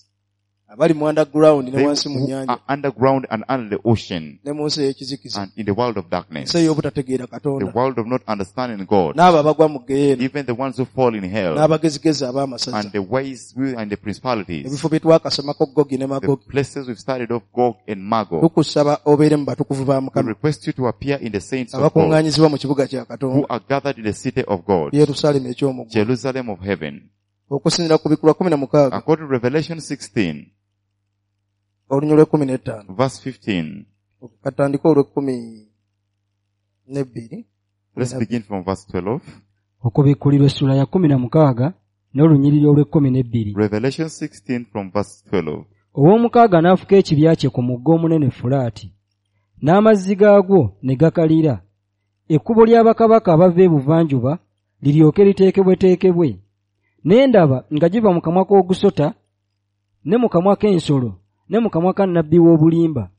abali mu underground ne They wansi mu who nnyanja are underground and under the ocean ne mu nsi ey'ekizikiza and in the world of darkness, ensi ey'obutategeera the Katonda world of not understanding God, n'abo abagwa mu geyeena even the ones who fall in hell n'abagezigezi ab'amasaza and the wise will and the principalities, ebifo bye twakasomako Gogi ne the Magogi places we've studied of Gog and Magog. tukusaba obeere mu batukuvu ba We Mukama request you to appear in the saints of God abakuŋŋaanyizibwa mu kibuga kya who Katonda are gathered in the city of God, Yerusaalemi eky'omu ggulu Jerusalem of heaven. okusinziira ku Bikulwa 16 According to Revelation 16, olunyiriri lw'e15 verse 15, katandike olw'e12 let's begin from verse 12. Okubikkulirwa essula ya 16 n'olunyiriri olw'e12. Revelation 16 from verse 12. Ow'omukaaga n'afuka ekibya kye ku mugga omunene Fulaati, n'amazzi gaagwo ne gakalira. Ekkubo lya bakabaka abava ebuvanjuba liryoke liteekebweteekebwe. Ne ndaba nga giva mu kamwa k'ogusota, ne mu kamwa k'ensolo, ne mu kamwa ka nnabbi w'obulimba.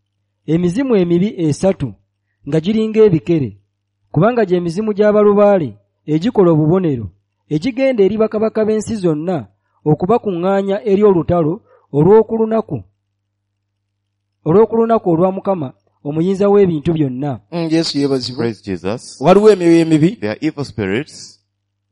Emizimu emibi 3 nga giringa ebikere, kubanga gye mizimu gy'abalubaale egikola obubonero, egigenda eri bakabaka b'ensi zonna okubakuŋŋaanya eri olutalo olw'okulunaku olwa Mukama omuyinza w'ebintu byonna. Yesu yeebazibwe. Praise Jesus. Waliwo emyoyo emibi There are evil spirits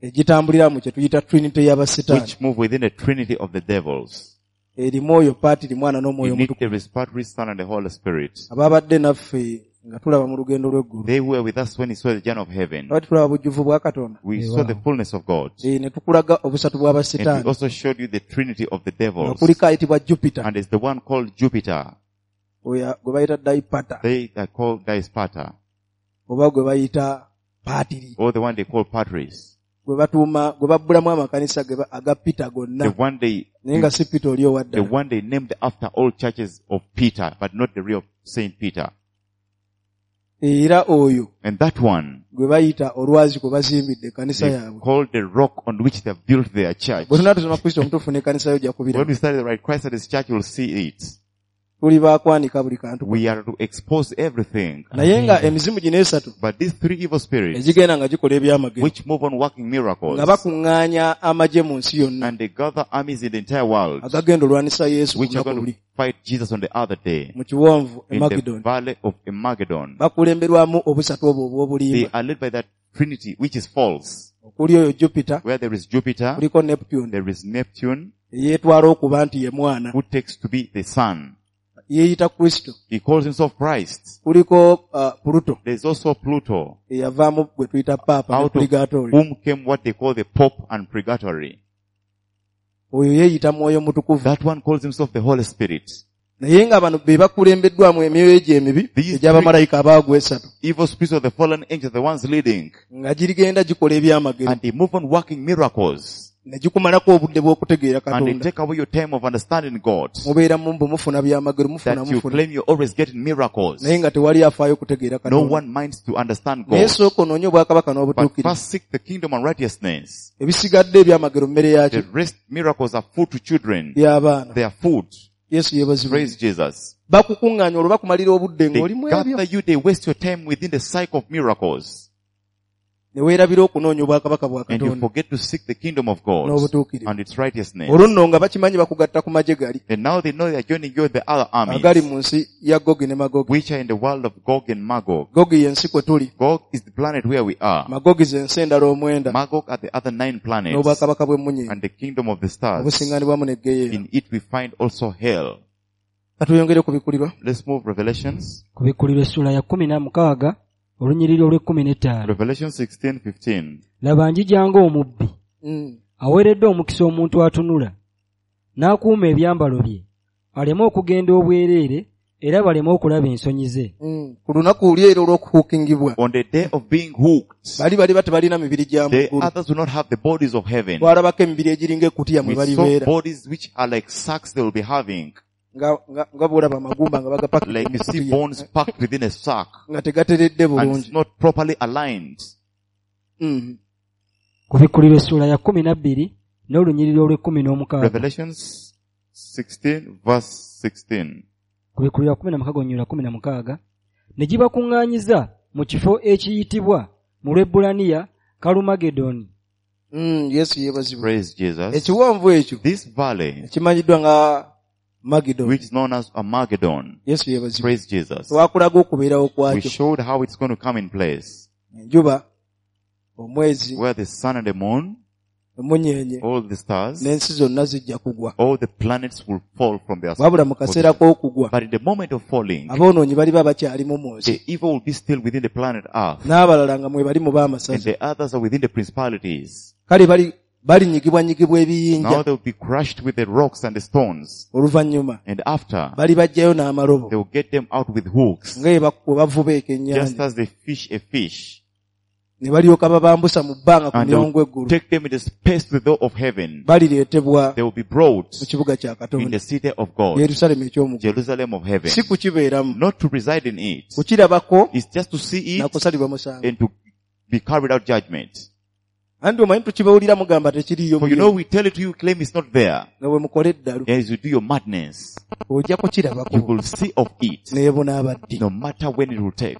egitambulira mu kye tuyita trinity y'abasitaani which move within the trinity of the devils. erimu oyo Paatiri Mwana n'Omwoyo In it Omutukuvu there is Patri, Son, and the Holy Spirit. ababadde naffe nga tulaba mu lugendo lw'eggulu They who were with us when he saw the journey of heaven. abadde tulaba bujjuvu bwa Katonda We saw the fullness of God. ne tukulaga obusatu And we bw'abasitaani also showed you the trinity of the nga devils. kuliko ayitibwa Jupiter And it's the one called Jupiter. oyo gwe bayita Daipata They are called Daispata. oba gwe bayita Paatiri Or the one they call Patris. gwe batuuma gwe babbulamu amakanisa aga Peter gonna The one they, naye nga si Peter oli the owaddala one they named after all churches of Peter, but not the real Saint Peter. era oyo And that one, gwe bayita olwazi kwe bazimbidde ekkanisa they yaabwe called the rock on which they built their church. bwe tunaa tusoma Kristo omutuufu n'ekkanisa yo ojja When kubiraba we study the right Christ at his church, you'll see it. tuli baakwanika buli kantu We are to expose everything. naye nga emizimu gino esatu But these three evil spirits, egigenda nga gikola ebyamagero which move on working miracles, nga bakuŋŋaanya amagye mu nsi yonna and they gather armies in the entire world, agagenda olwanisa Yesu ku which are lunaku going luli to fight Jesus on the other day, mu kiwonvu in the Emagidoni valley of Armageddon. bakulemberwamu obusatu obwo They obw'obulimba are led by that trinity, which is false. okuli oyo Jupiter Where there is Jupiter, kuliko Neptune there is Neptune, eyeetwala okuba nti ye mwana who takes to be the sun. yeeyita Kristo He calls himself Christ. kuliko Pluto There's also Pluto, eyavaamu gwe tuyita Paapa ne out of Purigatori whom came what they call the Pope and Purgatory. Oyo yeeyita mwoyo mutukuvu. That one calls himself the Holy Spirit. Naye nga bano be bakulembeddwamu emyoyo egyo emibi These egy'abamalayika abaagwa esatu. Evil spirits of the fallen angels, the ones leading. Nga girigenda gikola ebyamagero. And they move on working miracles. Ne gikumalako obudde bw'okutegeera And they Katonda. take away your time of understanding God. Mubeera mumbu mufuna byamagero, mufuna That you mufuna. claim you're always getting miracles. Naye nga tewali afaayo kutegeera No Katonda. one minds to understand Naye God. sooka onoonye obwakabaka But n'obutuukirivu. first seek the kingdom and righteousness. Ebisigadde ebyamagero mmere yaki? The rest miracles are food to children. Y'abaana. They are food. Yesu yeebazibwe. Praise Jesus. Bakukuŋŋaanya olwo bakumalira obudde They ng'oli mu ebyo. gather you, they waste your time within the cycle of miracles. Ne weerabira okunoonya obwakabaka bwa And you Katonda forget to seek the kingdom of God n'obutuukirivu. and its righteousness. Olwo nno nga bakimanyi bakugatta ku magye gali And now they know they are joining you in the other agali armies, mu nsi ya Gogi ne Magogi. which are in the world of Gog and Magog. Gogi y'ensi kwe tuli. Gog is the planet where we are. Magogi z'ensi endala omwenda Magog are the other 9 planets n'obwakabaka bw'emmunyeenye and the kingdom of the stars. obusiŋŋanibwamu ne Ggeyeena. In it we find also hell. Katweyongere kubikkulirwa. Let's move Revelations. Kubikkulirwa essuula ya 16 olunyiriri olw'e15. Revelation 16:15. Laba njija ng'omubbi. Aweereddwa omukisa omuntu atunula n'akuuma ebyambalo bye aleme okugenda obwereere era baleme okulaba ensonyi ze. Ku lunaku luli era olw'okuhuukingibwa. On the day of being hooked, Bali baliba tebalina mibiri gya the mu ggulu. others will not have the bodies of heaven. Twalabako emibiri egiringa ekkutiya mwe We saw balibeera. bodies which are like sacks they will be having. Nga nga bw'olaba amagumba nga bagapakidde Like mu you see kkutiya. bones packed within a sack. Nga tegateredde And bulungi. it's not properly aligned. Kubikkulirwa essuula ya 12 n'olunyiriri olw'e16. Revelations 16 verse 16. Kubikkulirwa 16 olunyiriri 16. Ne gibakuŋŋaanyiza mu kifo ekiyitibwa mu Lwebbulaniya Kalumagedoni. Yesu yeebazibwe. Praise Jesus. Ekiwonvu ekyo This valley, ekimanyiddwa nga Magidoni. which is known as Armageddon. Yesu yeebazibwe. Praise Jesus. Twakulaga okubeerawo We kwakyo. showed how it's going to come in place. Enjuba, omwezi, Where the sun and the moon, emunyeenye all the stars, n'ensi zonna zijja kugwa. all the planets will fall from their Wabula mu kaseera position. k'okugwa, But in the moment of falling, aboonoonyi baliba bakyalimu mu nsi. the evil will be still within the planet Earth, N'abalala nga mwe bali mu and b'amasaza. the others are within the principalities. Kale bali balinyigibwanyigibwa ebiyinja. Now they will be crushed with the rocks and the stones. Oluvannyuma And after, bali baggyayo n'amalobo they will get them out with hooks, nga bwe bavuba ekyennyanja. just as they fish a fish. Ne balyoka babambusa mu bbanga ku And they mirongo will eggulu. take them in the space to the door of heaven. Balireetebwa They will be brought mu kibuga kya in Katonda, the city of God, Yerusaalemi eky'omu ggulu. Jerusalem of heaven. Si kukibeeramu, Not to reside in it. kukirabako It's just to see na it kusalirwa musango. and to be carried out judgment. Anti omanyi tukibawulira mugamba tekiriiyo For you know, we tell it to you, claim it's not there. nga bwe mukola eddalu As you do your madness, ojja you kukirabako will see of it, naye bunaabaddi. no matter when it will take.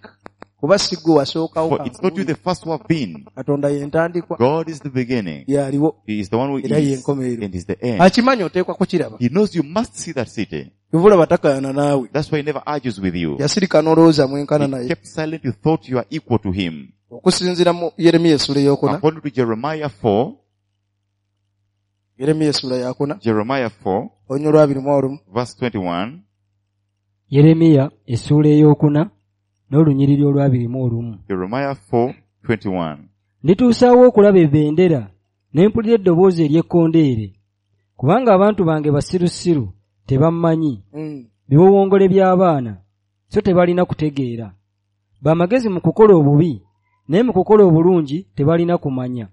Kuba si ggwe wasookawo For it's not you the first who have been. Katonda ye ntandikwa God is the beginning. yaliwo He is the one who era ye is nkomerero. and is the end. Akimanyi oteekwa kukiraba. He knows you must see that city. Kyova olaba takaayana naawe. That's why he never argues with you. Yasirika n'olowooza mwenkana He naye. kept silent. You thought you are equal to him. Okusinziira mu Yeremiya essuula ey'okuna. According to Jeremiah 4, Yeremiya essuula yakuna. Jeremiah 4, Olunyiriri lwa 21. verse 21. Yeremiya essuula ey'okuna n'olunyiriri olw'21. Jeremiah 4, 21. Ndituusaawo okulaba ebendera ne mpulira eddoboozi ery'ekkondeere. Kubanga abantu bange basirusiru tebammanyi. Biwowongole by'abaana so tebalina kutegeera. Bamagezi mu kukola obubi naye mu kukola obulungi tebalina kumanya.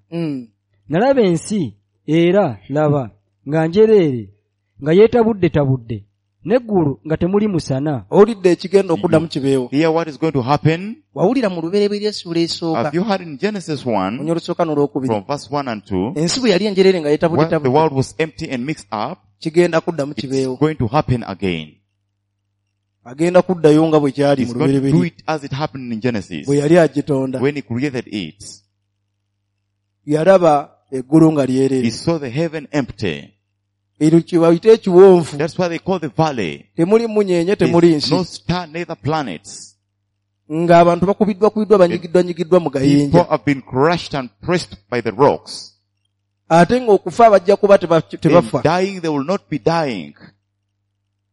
Nalaba ensi era laba nga njereere nga yeetabuddetabudde n'eggulu nga temuli musana. Owulidde ekigenda okuddamu kibeewo. Hear what is going to happen. Wawulira mu lubereberye essuula esooka. Have you heard in Genesis 1, Olunyiriri olusooka n'olwokubiri. from verse 1 and 2, Ensi bwe yali enjereere nga when the yeetabuddetabudde world was empty and mixed up, kigenda kuddamu it's kibeewo. going to happen again. Agenda kuddayo nga bwe kyali He's mu going to do lubereberye it as it happened in Genesis, bwe yali agitonda. when he created it. Yalaba eggulu nga lyereere. He saw the heaven empty. Eryo kye bayita ekiwonvu. That's why they call the valley. Temuli munyeenye temuli There's nsi. no star, neither planets. Ng'abantu bakubiddwa kubiddwa banyigiddwa nyigiddwa mu People gayinja. have been crushed and pressed by the rocks. Ate ng'okufa bajja kuba In tebafa. dying, they will not be dying.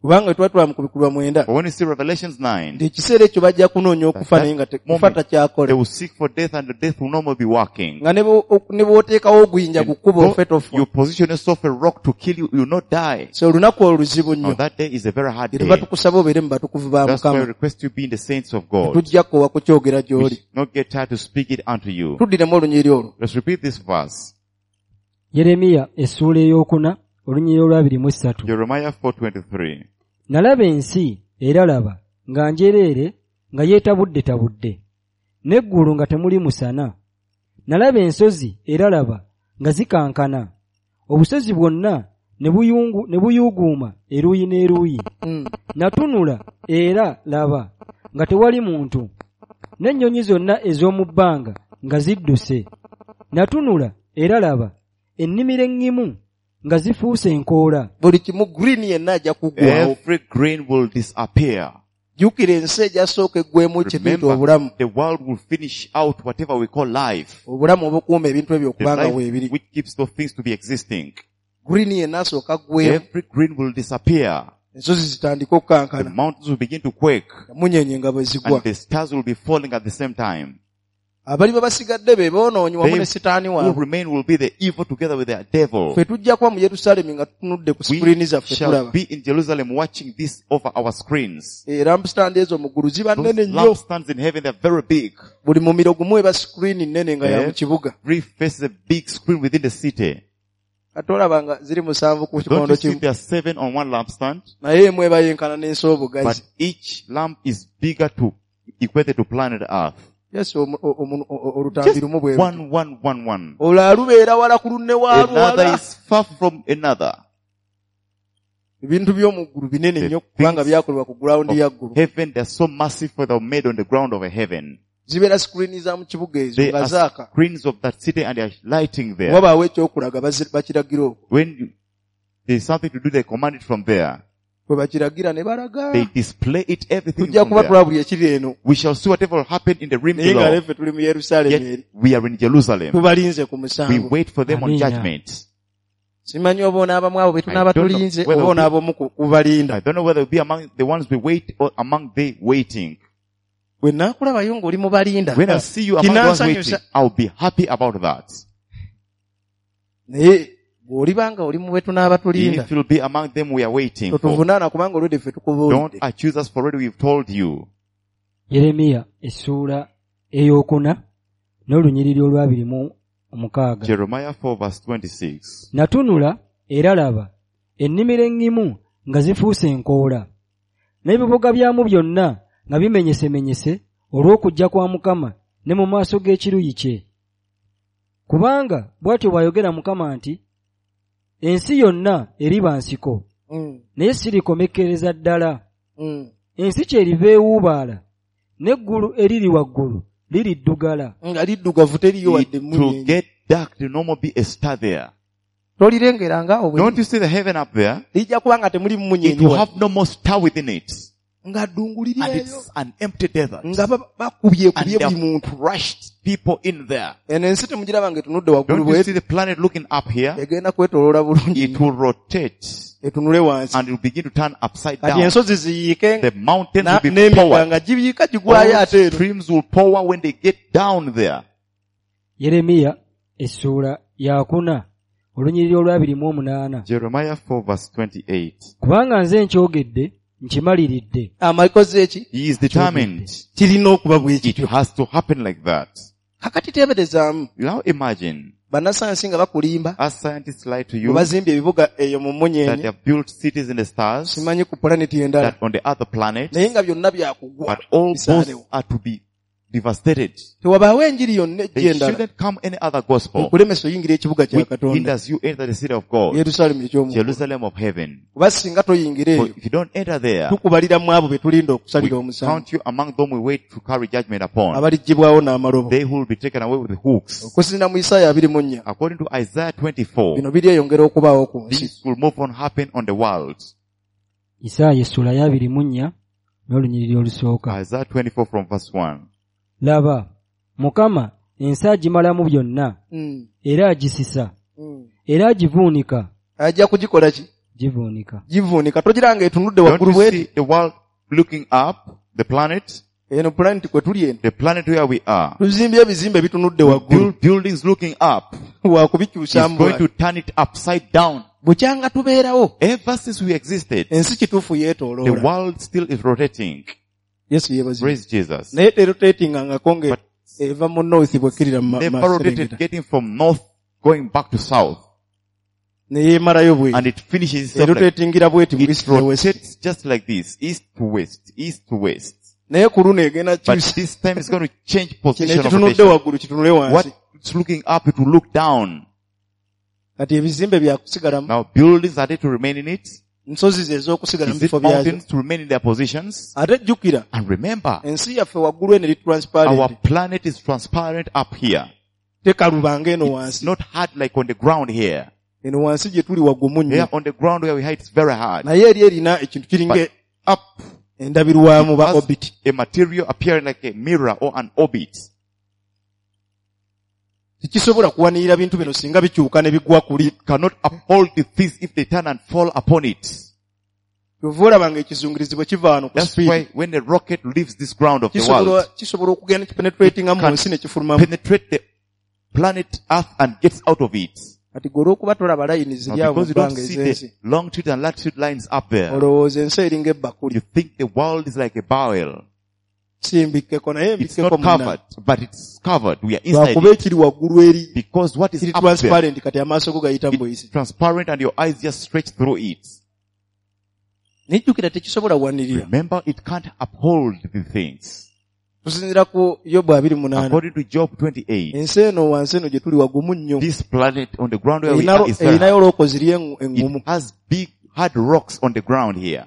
Kubanga tuba tulaba mu kubikulwa 9 But when you see Revelations 9, nti ekiseera ekyo bajja kunoonya okufa That naye nga kufa moment, takyakola they will seek for death and the death will no more be working. Nga ne bw'oteekawo oguyinja ku kkubo Though ofe tofa you position yourself a rock to kill you, you will not die. So olunaku olwo luzibu Now nnyo that day is a very hard era day. tukusaba obeere mu batukuvu ba That's why I Mukama request you be in the saints of God. Tujja kkowa kukyogera We gy'oli should not get tired to speak it unto you. Tuddiremu olunyiriri olwo Let's repeat this verse. Yeremiya essuula ey'okuna olunyiriri olwa 23 Jeremiah 4:23. Nalaba ensi era laba nga njereere nga yeetabuddetabudde n'eggulu nga temuli musana nalaba ensozi era laba nga zikankana obusozi bwonna ne buyuuguuma eruuyi n'eruuyi Natunula era laba nga tewali muntu n'ennyonyi zonna ez'omu bbanga nga zidduse natunula era laba ennimiro eŋŋimu nga zifuuse enkoola Buli kimu green yenna ajja kuggwawo Every green will disappear. Jjukira ensi ejasooka eggwemu kye tuyita Remember, obulamu the world will finish out whatever we call life. Obulamu obukuuma ebintu ebyo The okubanga life weebiri which keeps those things to be existing. Green yenna asooka aggwemu Every green will disappear. Ensozi zitandike The okukankana mountains will begin to quake. Munyenye nga bwe zigwa And the stars will be falling at the same time. Abaliba basigadde be boonoonyi wamu They ne sitaani who waabwe remain will be the evil together with their devil. Ffe tujja kuba mu Yerusaalemi nga tutunudde ku sikuliini We zaffe shall tulaba be in Jerusalem watching this over our screens. Lampstand ezo mu ggulu ziba Those nnene nnyo lampstands in heaven, they're very big. Buli mumiro gumu eba sikuliini nnene nga ya mu kibuga Every face is a big screen within the city. Ate olaba nga ziri 7 ku Don't kikondo you see kimu there are 7 on one lampstand? Naye emu eba yenkana n'ensi But obugazi each lamp is bigger to equated to planet Earth. Yes olutambi Just lumu bwe luti. 1, 1, 1, 1. Olwo alubeera wala ku lunne waalwo Another wala is far from another. Ebintu by'omu ggulu binene The nnyo kubanga things byakolebwa ku gulawundi ya ggulu of heaven, they're so massive for they're made on the ground of a heaven. Zibeera sikuliini za mu kibuga ezo They nga are zaaka screens of that city and they are lighting there. Wabaawo ekyokulaga bakiragira okwo When there's something to do, they command it from there. Bwe bakiragira ne balaga They display it, everything tujja from kuba there. tulaba buli ekiri eno We shall see whatever will happen in the realm naye nga below. leffe tuli mu Yerusaalemi Yet eri we are in Jerusalem. Tubalinze ku We musango wait for them on Amina. judgment. Simanyi oba onaabamu abo be tunaaba I don't know tulinze whether oba onaaba omu kubalinda I don't know whether we'll be among the ones we wait or among the waiting. Bwe naakulabayo ng'oli mu balinda When I see you among the ones waiting, kinansanyusa I'll be happy about that. Naye bw'oliba nga oli mu be tunaaba tulinda If you'll be among them we are waiting for, totuvunaana kubanga olwedde ffe don't tukubuulidde accuse us for already we've told you. Yeremiya essuula ey'okuna n'olunyiriri olwa 26 Jeremiah 4 verse 26. Natunula era laba ennimiro eŋŋimu nga zifuuse enkoola n'ebibuga byamu byonna nga bimenyesemenyese olw'okujja kwa Mukama ne mu maaso g'ekiruyi kye kubanga bw'atyo bw'ayogera Mukama nti ensi yonna eriba nsiko naye sirikomekkereza ddala Ensi kyeriva ewuubaala n'eggulu eriri waggulu liriddugala Nga liddugavu teriyo wadde It will emmunyeenye get dark, there will no more be a star there. Tolirengera nga obwe Don't you see the heaven up there? Lijja kuba nga temuli It mmunyeenye will wadde. have no more star within it. Nga ddungu liri And eyo it's an empty desert. Nga bakubyekubye And buli they muntu have crushed people in there. Eno ensi temugiraba nga etunudde waggulu Don't you bwe see the planet looking up here? Egenda kwetooloola bulungi It will rotate etunule wansi and it will begin to turn upside kati down. ensozi ziyiike The mountains will be n'emigga poured. nga giyiika gigwayo All ate eno streams will pour when they get down there. Yeremiya essuula yakuna olunyiriri olwa 28 Jeremiah 4 verse 28. Kubanga nze nkyogedde nkimaliridde Amakoze eki He is determined. Kirina okuba bwe It kityo has to happen like that. Kakati teeberezaamu Now imagine, bannasayansi nga bakulimba as scientists lie to bwe you, bazimbye ebibuga eyo mu that mmunyenye they have built cities in the stars, simanyi ku pulaneti endala that on the other planets, naye nga byonna byakugwa but all those bisaanewo are to be devastated. Tewabaawo enjiri yonna ejja There endala shouldn't come any other gospel ekulemesa oyingira ekibuga kya which Katonda hinders you enter the city of God, Yerusaalemi eky'omu Jerusalem of heaven. Kuba singa toyingira For eyo if you don't enter there, tukubalira mu abo be tulinda we okusalira omusango count you among them we wait to carry judgment upon. abaliggyibwawo n'amalobo They who will be taken away with hooks. Okusinziira mu Isaaya 24 According to Isaiah 24, bino biryeyongera okubaawo ku nsi this will move on happen on the world. Isaaya essuula ya 24 n'olunyiriri olusooka Isaiah 24 from verse 1. Laba Mukama ensi agimalamu byonna era agisisa era agivuunika Ajja kugikola ki Givuunika. Givuunika. Togira nga etunudde Don't waggulu you bw'eti? see the world looking up, the planet, Eno planet kwe tuli eno. the planet where we are. Tuzimbye ebizimbe bitunudde waggulu. Build buildings looking up. It's Wakubikyusa going to turn it upside down. Bukyanga tubeerawo. Ever since we existed, Ensi kituufu the yeetooloola. world still is rotating. Yesu yeebazibwe. Praise Jesus. Naye terotatingangako nga But eva mu north bw'ekkirira mu never rotated maserengeta. getting from north going back to south. Ne yeemalayo bw'eti. And it finishes itself like, Erotatingira bw'eti mu it east ne west. rotates just like this, east to west, east to west. Naye ku luno egenda But kyusa. this time it's going to change Kino position of ekitunudde rotation. waggulu kitunule What wansi. is looking up, it will look down. Kati ebizimbe byakusigalamu. Now buildings, are they to remain in it? Nsozi ze ez'okusigala mu Is it bifo byazo. mountains to remain in their positions? Ate jjukira And remember, ensi yaffe waggulu eno eri our transparent. planet is transparent up here. Tekalubanga eno It's wansi. not hard like on the ground here. Eno wansi gye tuli wagumu nnyo. Here on the ground where we hide, it's very hard. Naye eri erina ekintu kiringa But up, endabirwamu ba has orbit. a material appearing like a mirror or an orbit. Tekisobola kuwanirira bintu bino singa bikyuka ne bigwa kuli. Cannot uphold the things if they turn and fall upon it. Kyova olaba nga ekizungirizi bwe kiva wano ku That's speed why when a rocket leaves this ground of the kisobola world, kisobola okugenda kipenetratinga mu Can- nsi ne kifulumamu. penetrate the planet Earth and gets out of it. Kati gwe olw'okuba tolaba layini Now, ziri awo mu because you don't bbanga see ez'ensi the longitude and latitude lines up there, olowooza ensi eringa ebbakuli. you think the world is like a barrel. Si mbikkeko naye It's mbikkeko not munna. covered, but it's covered. We are inside Lwakuba it. ekiri waggulu eri Because what is kiri up there, transparent kati amaaso go gayita mu buyisi. it's transparent and your eyes just stretch through it. Nejjukira tekisobola kuwanirira. Remember, it can't uphold the things. Tusinziira ku Yobu 28. According to Job 28, Ensi eno wansi eno gye tuli wagumu nnyo. this planet on the ground where we are is very Erinayo hard. looko ziri eŋŋumu. It has big hard rocks on the ground here.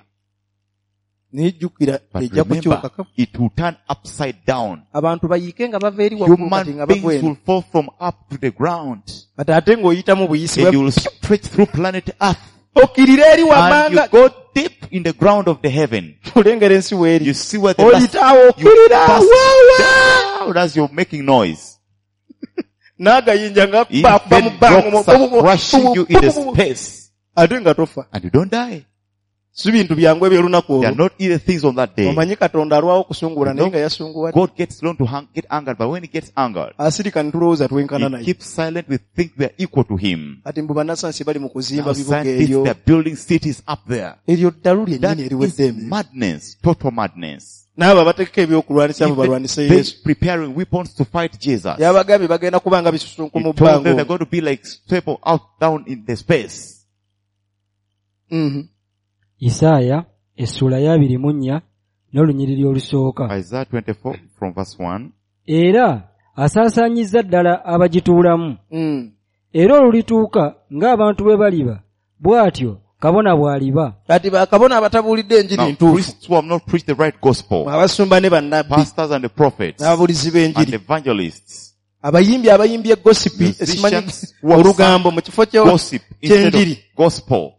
Nejjukira But ejja remember, kukyukako. it will turn upside down. Abantu bayiike nga bava eri waggulu kati Human nga bagwa beings eno. will fall from up to the ground. Kati ate ng'oyitamu buyisi And you will stretch through planet Earth. okkirira eri And you wammanga go deep in the ground of the heaven. olengera ensi weeri. You see where the last, Oyitaawo you okkirira pass waawa down as you're making noise. n'agayinja nga bakuba mu Even bbanga rocks are crushing you in the space. ate nga tofa. And you don't die. Si bintu byangu eby'olunaku They are olwo. not either things on that day. Omanyi Katonda alwawo okusungula naye nga yasunguwa. God gets long to get angered, but when he gets angered, Asirika ne tulowooza twenkana he naye. keeps silent. We think we are equal to him. Kati mbu bannasansi bali mu kuzimba Now bibuga scientists, eryo. they are building cities up there. Eryo ddalu That lyennyini is eriwedde emirimu. madness, total madness. N'abo abategeka ebyokulwanyisa abo Even balwanise they Yesu. preparing weapons to fight Jesus. Yabagambye bagenda kuba nga bisusunku He mu told them bbanga they're omwo. going to be like staple out down in the space. Mhm. Isaaya essuula ya 24 n'olunyiriri olusooka. Isaiah 24 from verse 1. Era asaasaanyizza ddala abagituulamu. Mm. Era olulituuka ng'abantu bwe baliba, bw'atyo kabona bw'aliba. Kati bakabona abatabuulidde enjiri Now, ntuufu. priests who have not preached the right gospel, Abasumba ne bannabbi pastors and the prophets, n'ababuulizi and b'enjiri. evangelists, Abayimbi abayimbye gosipi esimanyi musicians who have olugambo mu kifo gossip instead of ky'enjiri. gospel,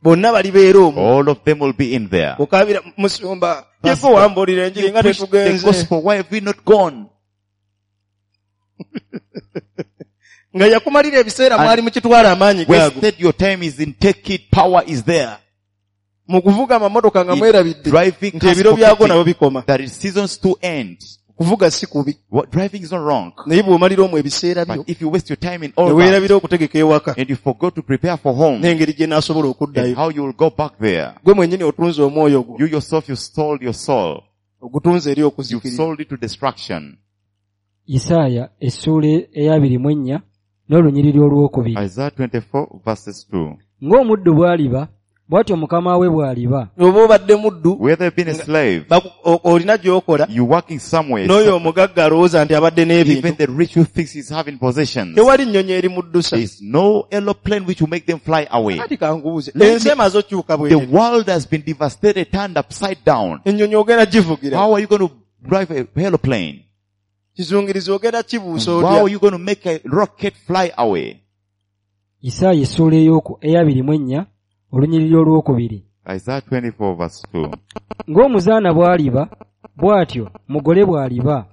Bonna balibeera omwo. all of them will be in there. Okaabira musumba Pastor, yeko wambuulira enjiri You nga preached the tetugenze. gospel, why have we not gone? Nga yakumalira ebiseera And mwali mukitwala amaanyi gaago. Wasted your time is in take it, power is there. Mu kuvuga amamotoka nga In mwerabidde driving nti cars ebiro byago forgetting nabyo bikoma. that it seasons to end. Kuvuga si kubi. What, driving is not wrong. Naye bw'omalira omwo ebiseera byo But if you waste your time in ne all that, weerabira okutegeka ewaka and you forgot to prepare for home, n'engeri gye naasobola and okuddayo. how you will go back there. Gwe mwennyini otunze omwoyo gwo You yourself, you sold your soul. ogutunze eri You've okuzikirira. sold it to destruction. Isaaya essuula eya 24 n'olunyiriri olwokubiri. Isaiah 24 verses 2. Ng'omuddu bw'aliba, bw'atyo mukama we bw'aliba. Oba obadde muddu Whether you've been a slave, olina gy'okola you're working somewhere, n'oyo omugagga alowooza nti abadde even n'ebintu. the rich who thinks he's having possessions, Tewali nnyonyi eri muddusa. there is no aeroplane which will make them fly away. Kati kangubuuze Let ensi emaze okyuka The bw'eri. world has been devastated, turned upside down. Ennyonyi ogenda givugira. How are you going to drive a aeroplane? Kizungirizi ogenda kibuusa How otya. are you going to make a rocket fly away? Isaaya essuula eya 24 olunyiriri olwokubiri. Isaiah 24 verse 2. Ng'omuzaana bw'aliba, bw'atyo mugole bw'aliba.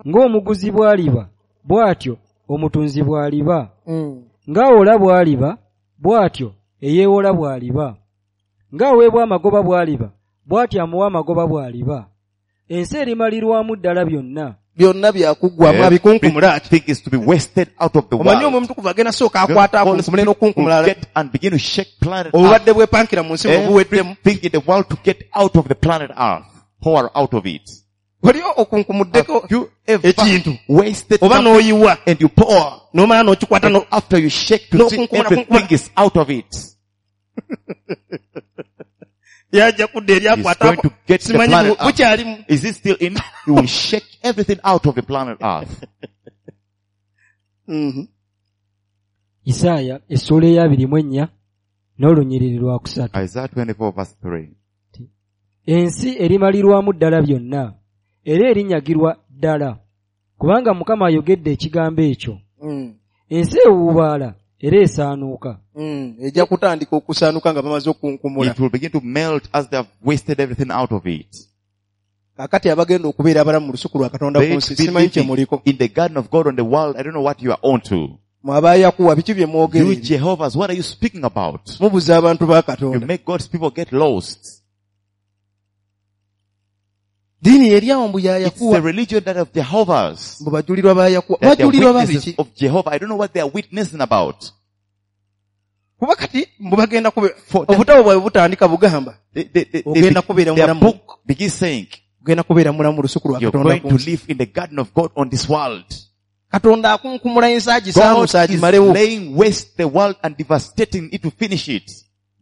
Ng'omuguzi bw'aliba, bw'atyo omutunzi bw'aliba. Ng'awola bw'aliba, bw'atyo eyeewola bw'aliba. Ng'aweebwa amagoba bw'aliba, bw'atyo amuwa amagoba bw'aliba. Ensi erimalirwamu ddala byonna. Byonna byakuggwamu abikunkumula ati. Everything is to be wasted out of the Omanyi world. omwoyo omutukuvu agenda sooka The akwata Holy akunkumule Spirit n'okunkumula will get and begin to shake planet Earth. obubadde bwepankira mu nsi bwe buweddemu. Everything in the world to get out of the planet Earth. Pour out of it. Wali okunkumuddeko Have you ever ekintu wasted oba something n'oyiwa and you pour n'omala n'okikwata and after you shake to see N'okunkumula, everything is out of it. yajja kudda eri He's akwata going to get the simanyi planet Earth. bukyalimu. Is it still in? He will shake everything out of the planet Earth. Isaaya essuula eya 24 n'olunyiriri lwakusatu. Isaiah 24 verse 3. Ensi erimalirwamu ddala byonna, era erinyagirwa ddala, kubanga Mukama ayogedde ekigambo ekyo. Ensi ewuubaala era esaanuuka. Ejja kutandika okusaanuka nga bamaze okunkumula. It will begin to melt as they have wasted everything out of it. Kaakati abagenda okubeera abalamu mu lusuku lwa Katonda They ku nsi be simanyi kye living muliko. in the garden of God on the world. I don't know what you are on to. Mwe aba Yakuwa biki bye mwogera You ebyo? Jehovah's, what are you speaking about? Mubuza abantu ba You Katonda. make God's people get lost. Ddiini eri awo mbu ya It's the Yakuwa. religion that of Jehovah's. Mbu bajulirwa ba Yakuwa. That they are Bajulirwa ba witnesses biki? of Jehovah. I don't know what they are witnessing about. Kuba kati mbu bagenda kube For them, obutabo bwabwe butandika bugamba ogenda kubeera their mulamu. book begins saying, Ogenda kubeera mulamu mu lusuku lwa you're Katonda going ku to nsi. live in the garden of God on this world. Katonda akunkumula ensi God agisaanuuse is agimalewo. laying waste the world and devastating it to finish it.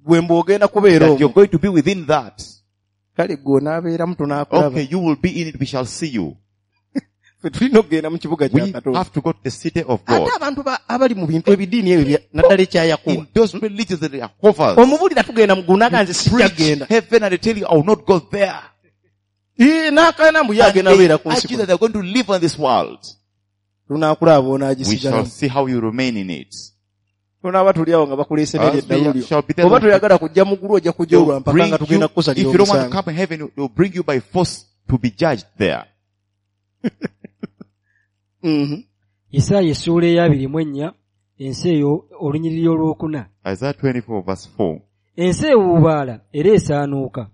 Gwe mbu ogenda kubeera That you're omwo. going to be within that. Kale gwe onaabeeramu tunaakulaba. Okay, you will be in it, we shall see you. Ffe tulina okugenda mu kibuga kya We Katonda. have to go to the city of God. Ate abantu abali mu bintu ebidiini ebyo naddala ekya Yakuwa. In those religions that are Jehovah's, Omubuulira tugenda mu ggulu n'agamba nze sijja preach kugenda. heaven and they tell you, I will not go there. Ii, n'akaana mbu ye And agenda they kubeera ku nsi argue kuno. that they're going to live on this world. Tunaakulaba We shall onaagisigalamu. see how you remain in it. Tunaaba tuli awo nga bakuleese n'eryo As we eddalu lyo. shall be there, Oba toyagala kujja mu ggulu ojja kujja they'll olwa mpaka bring nga you, tugenda if kukusalira you don't want to omusango. come in heaven, they'll bring you by force to be judged there. Isaaya essuula eya 24 ensi eyo olunyiriri olwokuna. Isaiah 24 verse 4. Ensi ewuubaala era esaanuuka.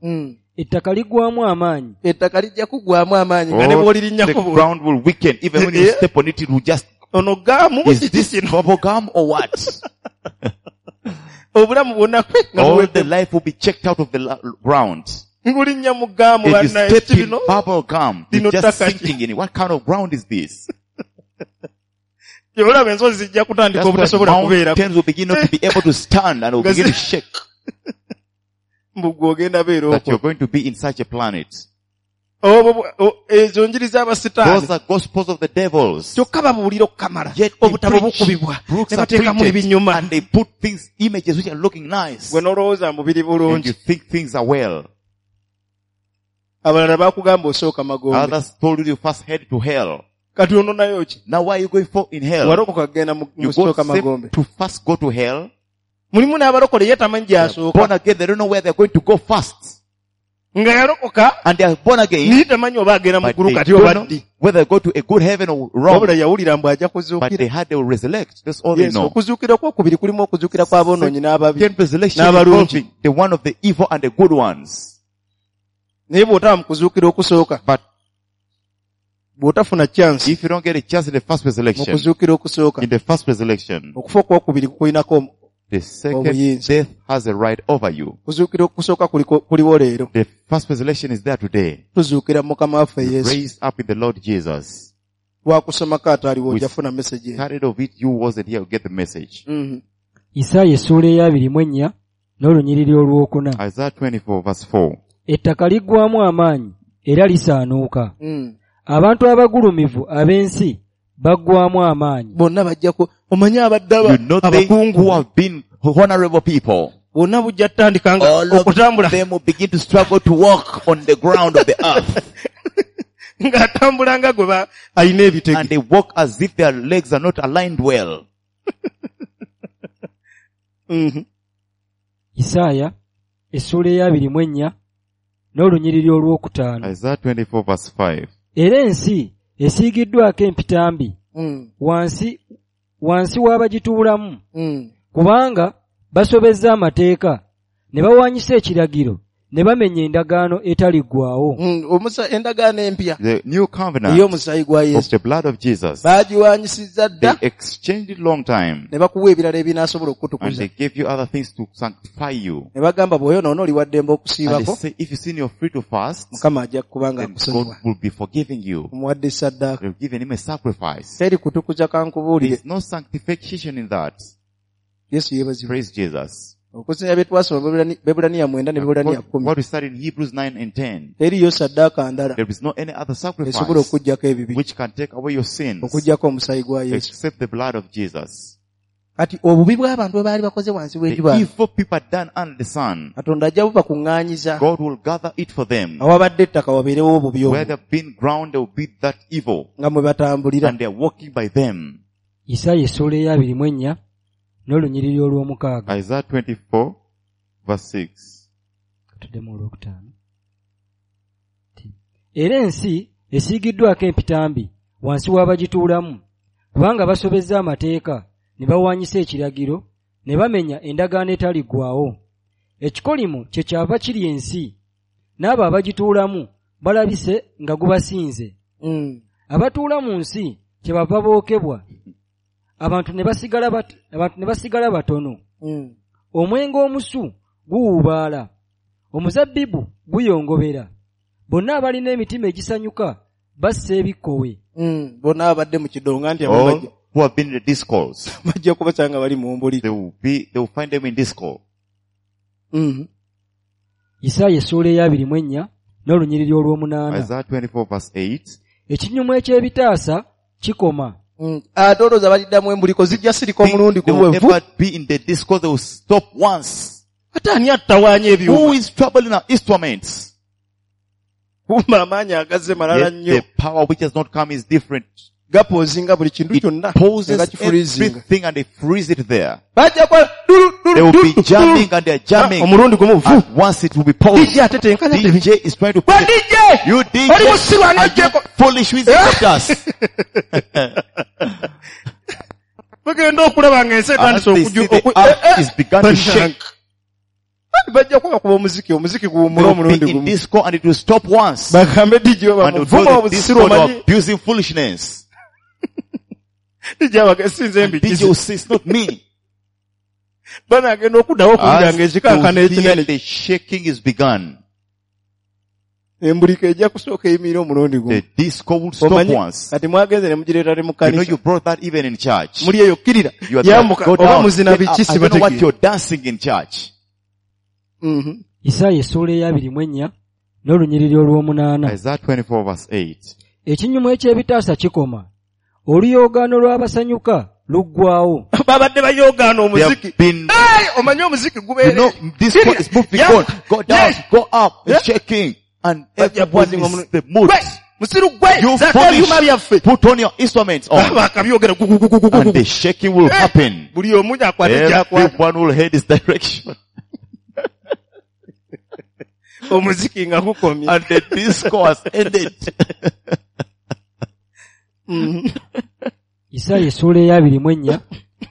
Ettaka liggwaamu amaanyi. Ettaka lijja kuggwaamu amaanyi nga ne Oh, bw'olirinnyako the bw'oli. ground will weaken. Even when you Yeah. step on it, it will just, Ono gaamu is kiki this kino? bubble gum or what? Obulamu bwonna kwe nga All buwedde. the life will be checked out of the ground. Ngulinnya mu gaamu If you bannaye step ki in bino? bubble gum, Lino you're just ttaka ki? sinking in it. What kind of ground is this? Olaba ensozi zijja kutandika That's why obutasobola kubeerako. mountains will begin not to be able to stand and will Nga begin to shake. Mbu gwe ogenda beera That okwo. you're going to be in such a planet. Obwo ezo njiri z'abasitaani. Those are gospels of the devils. Kyokka babuulira okukamala. Yet they Obutabo preach, bukubibwa. books Ne are bateekamu printed, ebinyuma. and they put things, images which are looking nice. Gwe n'olowooza mbu biri And bulungi. you think things are well. Abalala baakugamba osooka magombe. Others told you you first head to hell. Kati ononayo ki? Now why are you going for in hell? Walokoka kugenda mu You mu go sooka magombe. safe to first go to hell. Mulimu n'abalokole ye tamanyi gy'asooka. Born again, they don't know where they're going to go first. Nga yalokoka And they are born again, naye tamanyi oba agenda mu but ggulu they kati don't oba know ddi. whether they go to a good heaven or wrong. Wabula yawulira mbu ajja But kuzuukira. they had they will resurrect. That's all they Yes, know. okuzuukira okwokubiri kulimu okuzuukira kw'aboonoonyi n'ababi. Second resurrection N'abalungi. involving the one of the evil and the good ones. Naye bw'otaba mu kuzuukira okusooka, But bw'otafuna chance if you don't get a chance in the first mu resurrection, kuzuukira okusooka, in the first resurrection, okufa okwokubiri kukulinako the second Obuyinza. death has a right over you. Kuzuukira okusooka kuliwo leero. The first resurrection is there today. Tuzuukira mu Mukama waffe Yesu. Raised up in the Lord Jesus. Lwakusomako ataaliwo We ojja kufuna message eno. Started of it, you wasn't here, you get the message. Isaaya essuula eya 24 n'olunyiriri olwokuna. Isaiah 24 verse 4. Ettaka liggwaamu amaanyi era lisaanuuka. Abantu abagulumivu ab'ensi baggwaamu amaanyi. Bonna bajja ku omanyi abadde You know they who abakungu have been honorable people. bonna bujja kutandika nga All of okutambula them will begin to struggle to walk on the ground of the earth. ng'atambula nga gwe alina ebitege. And they walk as if their legs are not aligned well. Isaaya essuula eya 24 n'olunyiriri olwokutaano. Isaiah 24 verse 5. Era ensi esiigiddwako empitambi wansi wansi w'abagituulamu kubanga Basobezza amateeka ne bawaanyisa ekiragiro ne bamenya endagaano etaliggwaawo. Endagaano empya The new covenant ey'omusaayi gwa of Yesu the blood of Jesus. baagiwaanyisizza They dda exchanged it long time ne bakuwa ebirala ebinaasobola and okukutukuza they gave you other things to sanctify you. ne bagamba bw'oyonoona oli wa ddembe And they okusiibako say if you sin you're free to fast, Mukama ajja kuba nga then God akusonyiwa will be forgiving you. omuwadde ssaddaaka They've given him a sacrifice. teri kutukuza kankubuulire There's no sanctification in that. Yesu yeebazibwe Praise Jesus. okusinga bye twasoma Bebbulaniya 9 ne Bebbulaniya 10 What we studied in Hebrews 9 and 10, teriyo ssaddaaka ndala there is no any other esobola sacrifice okuggyako ebibi which can take away your sins okuggyako omusaayi gwa Yesu except the blood of Jesus. kati obubi bw'abantu bwe baali bakoze wansi The w'enjuba evil people had done under the sun, Katonda ajja bubakuŋŋaanyiza God will gather it for them. awabadde ettaka wabeerewo obubi Where obwo they've been ground, there will be that evil, nga mwe batambulira and they're walking by them. Isaaya essuula eya 24 n'olunyiriri olw'omukaaga. Isaiah 24, verse 6. Tuddemu olwokutaano. Era ensi esiigiddwako empitambi wansi w'abagituulamu kubanga basobezza amateeka ne bawaanyisa ekiragiro ne bamenya endagaano etaliggwaawo. Ekikolimo kye kyava kiri ensi n'abo abagituulamu balabise nga gubasinze. Abatuula mu nsi kyebava bookebwa abantu ne basigala batono. Omwenge omusu guwuubaala, omuzabbibu guyongobera. Bonna abalina emitima egisanyuka bassa ebikkowe. Bonna abadde mu kidongo anti All who have been in the discourse, bajja kubasanga bali mu mbuli. They will find them in discourse. Isaaya essuula eya 24 n'olunyiriri olw'omunaana. Isaiah 24 verse 8. Ekinyumu eky'ebitaasa kikoma. Ate olowooza baliddamu embuliko zijja sirika omulundi They will gumu never be in the discourse, they will stop once. Ate ani attawaanya ebyuma? Who is troubling our instruments? Kumba amaanyi agazze malala nnyo. The power which has not come is different. Gapoozinga buli kintu kyonna It pauses nga kifreezinga. everything and they freeze it there. Bajja kukola dulu, dulu, They will be dulu, jamming dulu. and they are jamming. Omulundi gumu vu. And once it will be paused. DJ ate tenkanya tebi. DJ is trying to Gwe play. DJ! You DJ, Oli musiru ani are you ajjeko? foolish who is us? Bagenda okulaba ng'ensi As etandise they see the earth is begun to shake. Bajja kubakuba omuziki, omuziki They guwummule will omulundi be in gumu. disco and it will stop once. Bagambe DJ And they will bamuvuma tell the obusiru disco they are omanyi. abusing foolishness. DJ abaga sinze And DJ mbikize. will say, it's not me. Banaagenda okuddawo okuwulira As ng'ekikankana they will hear ekinene. the shaking is begun. Embuliko ejja kusooka eyimirire omulundi gumu. The disco will stop Omanyi, once. kati mwagenze ne mugireeta ne mu You know kkanisa. you brought that even in church. Muli eyo kkirira. You are there. Yambuka Go oba down. muzina Get up. biki I don't know what sibategeera. you're dancing in church. Isaaya essuula eya 24 n'olunyiriri olw'omunaana. Isaiah 24 verse 8. Ekinyumu eky'ebitaasa kikoma. Oluyoogaano lw'abasanyuka luggwaawo. Babadde bayoogaana They have omuziki. been, Hey, omanyi omuziki you gubeere. know, this Kkirira. is moving Yambuka. on. Go down, Yes. go up, Yeah. it's shaking. And Bajja everyone pozinga is omulu- the mood. Gwe, musiru gwe, You zaako ebyuma byaffe. foolish, put on your instruments on. Bakabyogera gu, gu, gu, gu, gu, And gu. the shaking will Hey, happen. Buli omu akwate gy'akwata. Everyone will head his direction. Omuziki nga gukomye. And the disco has ended. Isaaya essuula eya 24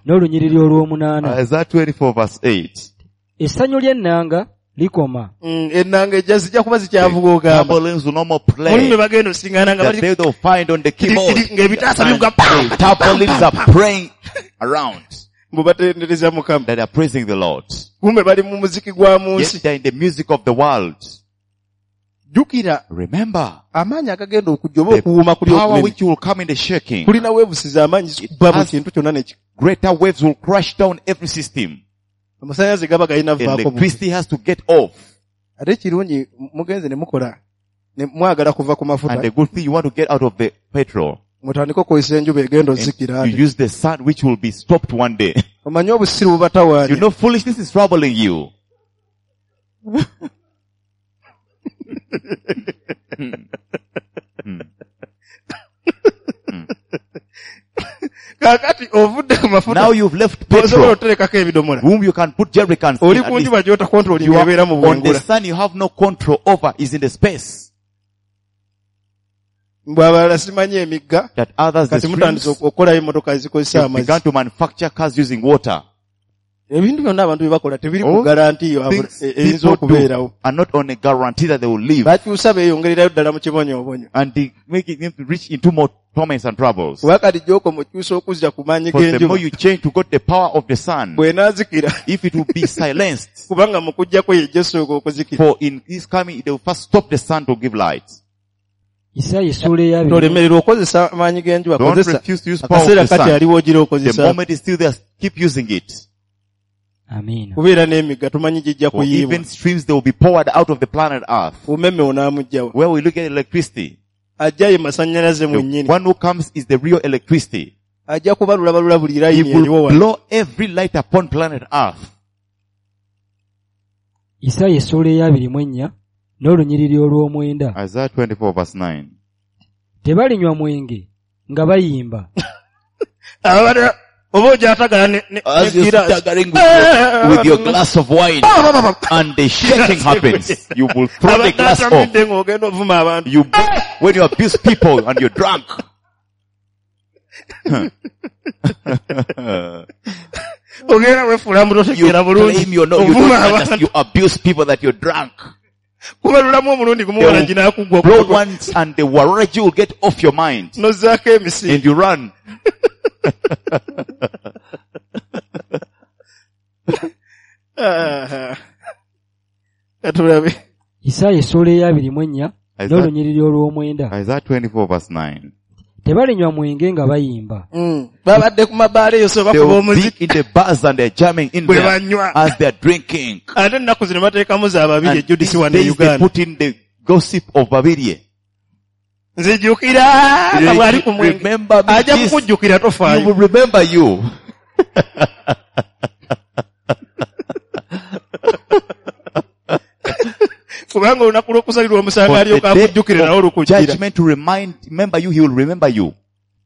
n'olunyiriri olw'omunaana. Isaiah 24 verse 8. Essanyu ly'ennanga likoma. Ennanga ejja zijja kuba zikyavuga ogamba. Tambourines will no more Mulimu play. bwe bagenda osiŋŋaana nga That bali they will find on the keyboard. ng'ebitaasa And bivuga pam, the tambourines are praying around. mbu batendereza Mukama. That they are praising the Lord. Kumbe bali mu muziki gwa mu Yet nsi. they are in the music of the world. Jjukira Remember, amaanyi agagenda okujja oba the okuwuuma kuli power okunene. which will come in the shaking. Kulina weevusiza amaanyi zikuba buli has- kintu kyonna ne ki- Greater waves will crash down every system. Amasannyalaze gaba galina vaako buvi. Electricity has to get off. Ate ekirungi mugenze ne mukola ne mwagala kuva ku mafuta And the good thing you want to get out of the petrol. mutandike okukozesa enjuba egenda And ozikira ate. you use the sun which will be stopped one day. Omanyi obusiru bubatawaanya. You know foolishness is troubling you. Kaakati ovudde ku mafuta Now you've left osobola petrol, oterekako ebidomola. whom you can put jerrycans in. Oli At ku least njuba gy'otakontrolinga you are ebeera mu on the bwengula. sun you have no control over is in the space. Mbw abalala simanyi emigga That others, the kati mutandise streams, okukolayo emmotoka ezikozesa they've amazzi. begun to manufacture cars using water. Ebintu byonna abantu bye bakola tebiri ku All garanti Things eyinza people do okubeerawo. are not on a guarantee that they will live. Bakyusa beeyongererayo ddala mu kibonyoobonyo. And they make it them to reach into more torments and troubles. Kuba kati gy'okoma okyusa okuzza ku maanyi For the g'enjuba more you change to got the power of the sun, bw'enaazikira if it will be silenced, kubanga mu kujjako yejja esooka okuzikira. for in this coming, they will first stop the sun to give light. Isaaya essuula eyabiri Tolemererwa okozesa amaanyi g'enjuba Don't kozesa refuse to use power of akaseera the kati sun. aliwo ogira The okozesa moment is still there, keep using it. Amiina. kubeera n'emigga tumanyi gijja For kuyiibwa even streams, they will be poured out of the planet Earth. umeme onaamuggyawa Where we look at electricity, ajja ye masannyalaze the mwennyini one who comes is the real electricity. ajja kubalulabalula buli He layini eriwo will wano blow every light upon planet Earth. Isaaya essuula eyabiri mu ennya n'olunyiriri olw'omwenda. Isaiah 24 verse 9. Tebalinywa mwenge nga bayimba. Abadde oba ogyatagala ne As you're giraasi. staggering with your glass of wine and the shaking happens, you will throw the Abadde glass off. atamidde ng'ogenda ovuma abantu You, when you abuse people and you're drunk. ogenda weefuula mbu You totegeera bulungi claim you're not, you ovuma don't abantu understand, you abuse people that you're drunk. kubalulamu omulundi gumu They wala will ginaakugwa blow once and the waraji will get off your mind n'ozzaako emisi and you run. Ah. Katulabe Isaaya essuula eyabiri mu ennya n'olunyiriri olw'omwenda. Isaiah 24 verse 9. Tebalinywa mwenge nga bayimba. Babadde ku mabaala eyo so They bakuba will be omuziki in the bars and they're jamming in bwe there banywa as they're drinking. ate ennaku zino bateekamu za babiri And ejudisi these wano e days they Uganda put in the gossip of Babirie. nzijukira nga bw'ali ku mwenge Remember me ajja this. kukujjukira He tofaayo will remember you. kubanga olunaku lw'okusalirwa omusango For alyoka the akujjukire day nawe of olukujjira judgment to remember you, he will remember you.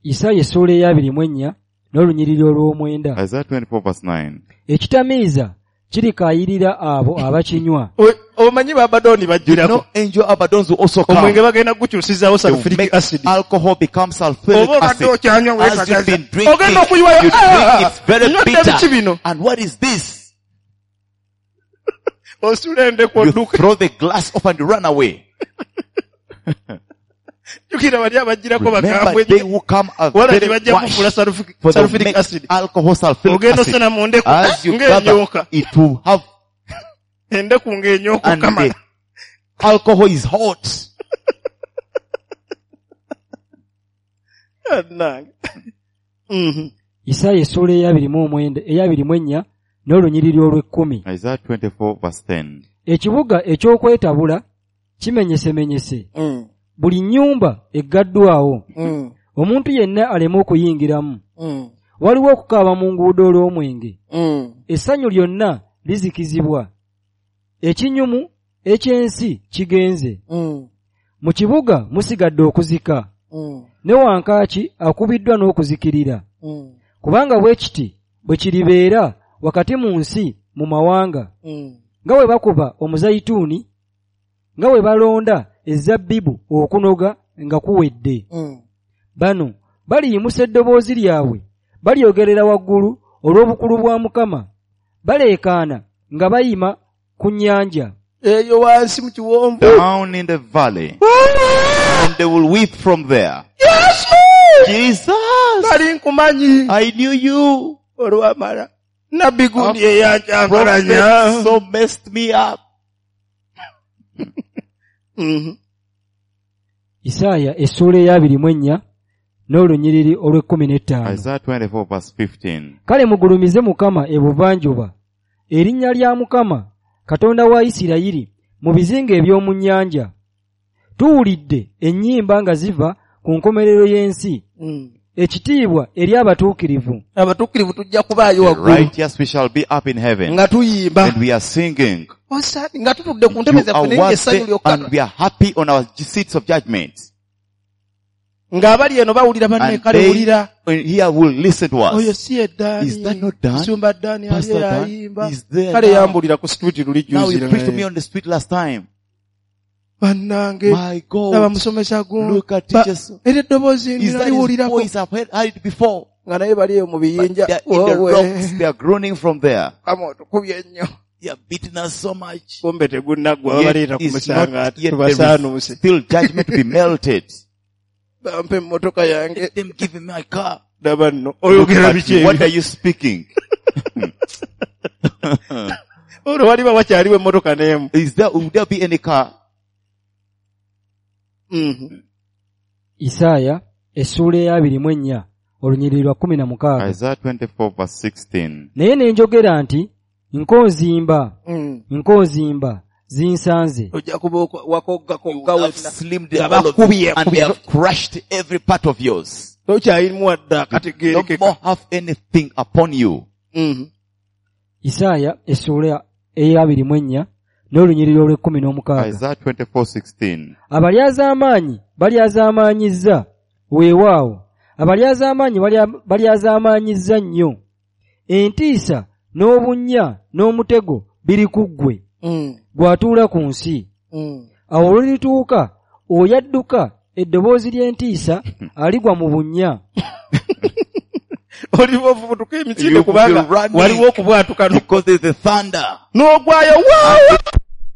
Isaaya essuula eyabiri mu ennya n'olunyiriri olw'omwenda. Isaiah 24 verse 9. Ekitamiiza kirikaayirira abo abakinywa. Omanyi babadooni You bajjirako know, angel Abaddons will also come. omwenge bagenda kugukyusizaawo They will sulfuric make acid alcohol become sulfuric oba obadde acid. okyanywa As you've weekagaza been drinking, ogenda okuyiwayo you drink, it's very nywedde biki bitter. bino And what is this? osula endeku You odduka throw the glass off and you run away. jjukira bali abajjirako Remember, bakambwe they will come are wala very tebajja wash kufuula for they will sulfuric make acid alcohol sulfuric ogenda acid. osena mu ndeku As you gather, ng'enyooka it will have, endeku ng'enyooka and okamala the alcohol is hot. Bannange. Mhm. Isaaya essuula eyabiri mu omwenda eyabiri mu ennya n'olunyiriri olw'ekkumi. Isaiah 24 verse 10. Ekibuga eky'okwetabula kimenyesemenyese. Mm. Buli nnyumba eggaddwawo. Mm. Omuntu yenna aleme okuyingiramu. Mm. Waliwo okukaaba mu nguudo olw'omwenge. Mm. Essanyu lyonna lizikizibwa. Ekinyumu eky'ensi kigenze. Mm. Mu kibuga musigadde okuzika. Mm. Ne wankaaki akubiddwa n'okuzikirira. Mm. Kubanga bwe kiti bwe kiribeera wakati mu nsi mu mawanga. Mm. Nga bwe bakuba omuzayituuni, nga bwe balonda ezabbibu okunoga nga kuwedde. Mm. Bano baliyimusa eddoboozi lyabwe, balyogerera waggulu olw'obukulu bwa Mukama. Baleekaana nga bayima ku nnyanja. Eyo wansi mu kiwonvu Down in the valley. And they will weep from there. Jesus! nali nkumanyi I knew you. olwamala nabbi gundi eyanjankalanya Prophet so messed me up. Mhm. Isaaya essuula eyabiri mu ennya n'olunyiriri olw'ekkumi n'ettaano. Isaiah 24 verse 15. Kale mugulumize Mukama ebuvanjuba, erinnya lya Mukama, Katonda wa Isirayiri, mu bizinga eby'omu nnyanja. Tuwulidde ennyimba nga ziva ku nkomerero y'ensi, Mm. ekitiibwa eri abatuukirivu. Abatuukirivu tujja kubaayo The waggulu righteous we shall be up in heaven. nga tuyimba And we are singing. Osaani, nga tutudde ku ntebe You zaffe are naye ng'essanyu worthy lyokka and we are happy on our seats of judgment. ng'abali eno bawulira banne And kale they wulira here will listen to oyo us. si ye Ddaani Is that not Dan? Musumba Ddaani ali Pastor Dan ayimba is there kale now. yambulira ku street luli Now juzi he preached to me on the street last time. bannange My laba God. musomesa gundi Look at teachers. era eddoboozi Is that his ndinaliwulirako voice? I've heard it before. Nga naye bali eyo mu But biyinja. they are in the Woowe. rocks, they are groaning from there. Kama otukubye nnyo. They are beating us so much. Kumbe tegunnaggwa Yet babaleeta ku is musango not ati yet there is tubasaanuuse. still judgment to be melted. Bampa emmotoka yange. Let them give me my car. Laba nno Look oyogera at biki you. What ebyo? are you speaking? Olwo waliba wakyaliwo emmotoka n'emu. Is there, will there be any car? Mhm. Isaaya essuula ey'abiri mu ennya olunyiriri lwa 16. Isaiah 24 verse 16. Naye ne njogera nti nkonzimba nkonzimba zinsanze. Ojja kuba wakoggakogga You have wenna. slimmed Nga all of you bakubye, and they have crushed every part of yours. Tokyalimu wadde No akategeerekeka. more have anything upon you. Mhm. Isaaya essuula ey'abiri mu ennya n'olunyiriri olw'ekkumi n'omukaaga. Isaiah 24:16. Abalyazaamaanyi balyazaamaanyizza, weewaawo abalyazaamaanyi balyazaamaanyizza nnyo. Entiisa n'obunnya n'omutego biri ku ggwe, gw'atuula ku nsi. Awo olulituuka oyadduka eddoboozi ly'entiisa aligwa mu bunnya. Oliba ofubutuka emisinde You will kubanga be running. waliwo okubwatuka Because there's a thunder. n'ogwayo waawa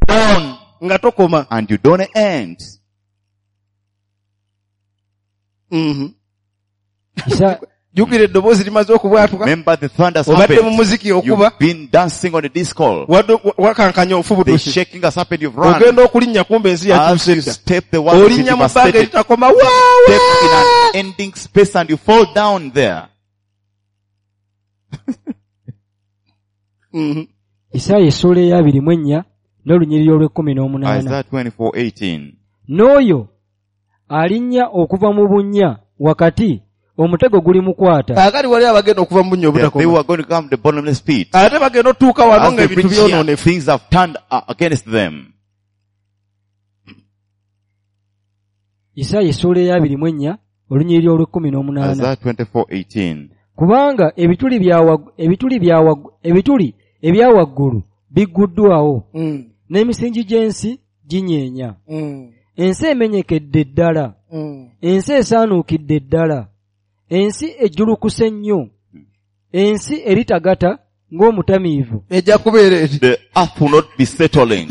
On. nga tokoma. And you don't end. Mhm. Isa- Jjukira eddoboozi limaze okubwatuka. Remember the thunders Obadde mu happened. muziki okuba. You've been dancing on the disco. Wadde wakankanya The ofubutuse. shaking has happened. You've run. Ogenda okulinnya kumbe ensi As yakyuse you dda. step, the world is Olinnya mu bbanga devastated. eritakoma waawa. Step in an ending space and you fall down there. Mhm. Isaaya essuula ey'abiri mu ennya n'olunyiriri olw'ekkumi n'omunaana. Isaiah 24:18. N'oyo alinnya okuva mu bunnya wakati omutego gulimukwata. Kaakati wali abagenda okuva mu bunnya They obutakoma. were going to come to the bottomless pit. Ate bagenda otuuka wano As they ng'ebintu reach here, byonoonefu. things have turned against them. Isaaya essuula ey'abiri mu ennya olunyiriri olw'ekkumi n'omunaana. Isaiah 24:18. Kubanga ebituli ebya waggulu bigguddwawo n'emisingi gy'ensi ginyeenya. Ensi emenyekedde ddala, ensi esaanuukidde ddala, ensi ejjulukuse nnyo, ensi eritagata ng'omutamiivu. Ejja kubeera eti. The earth will not be settling.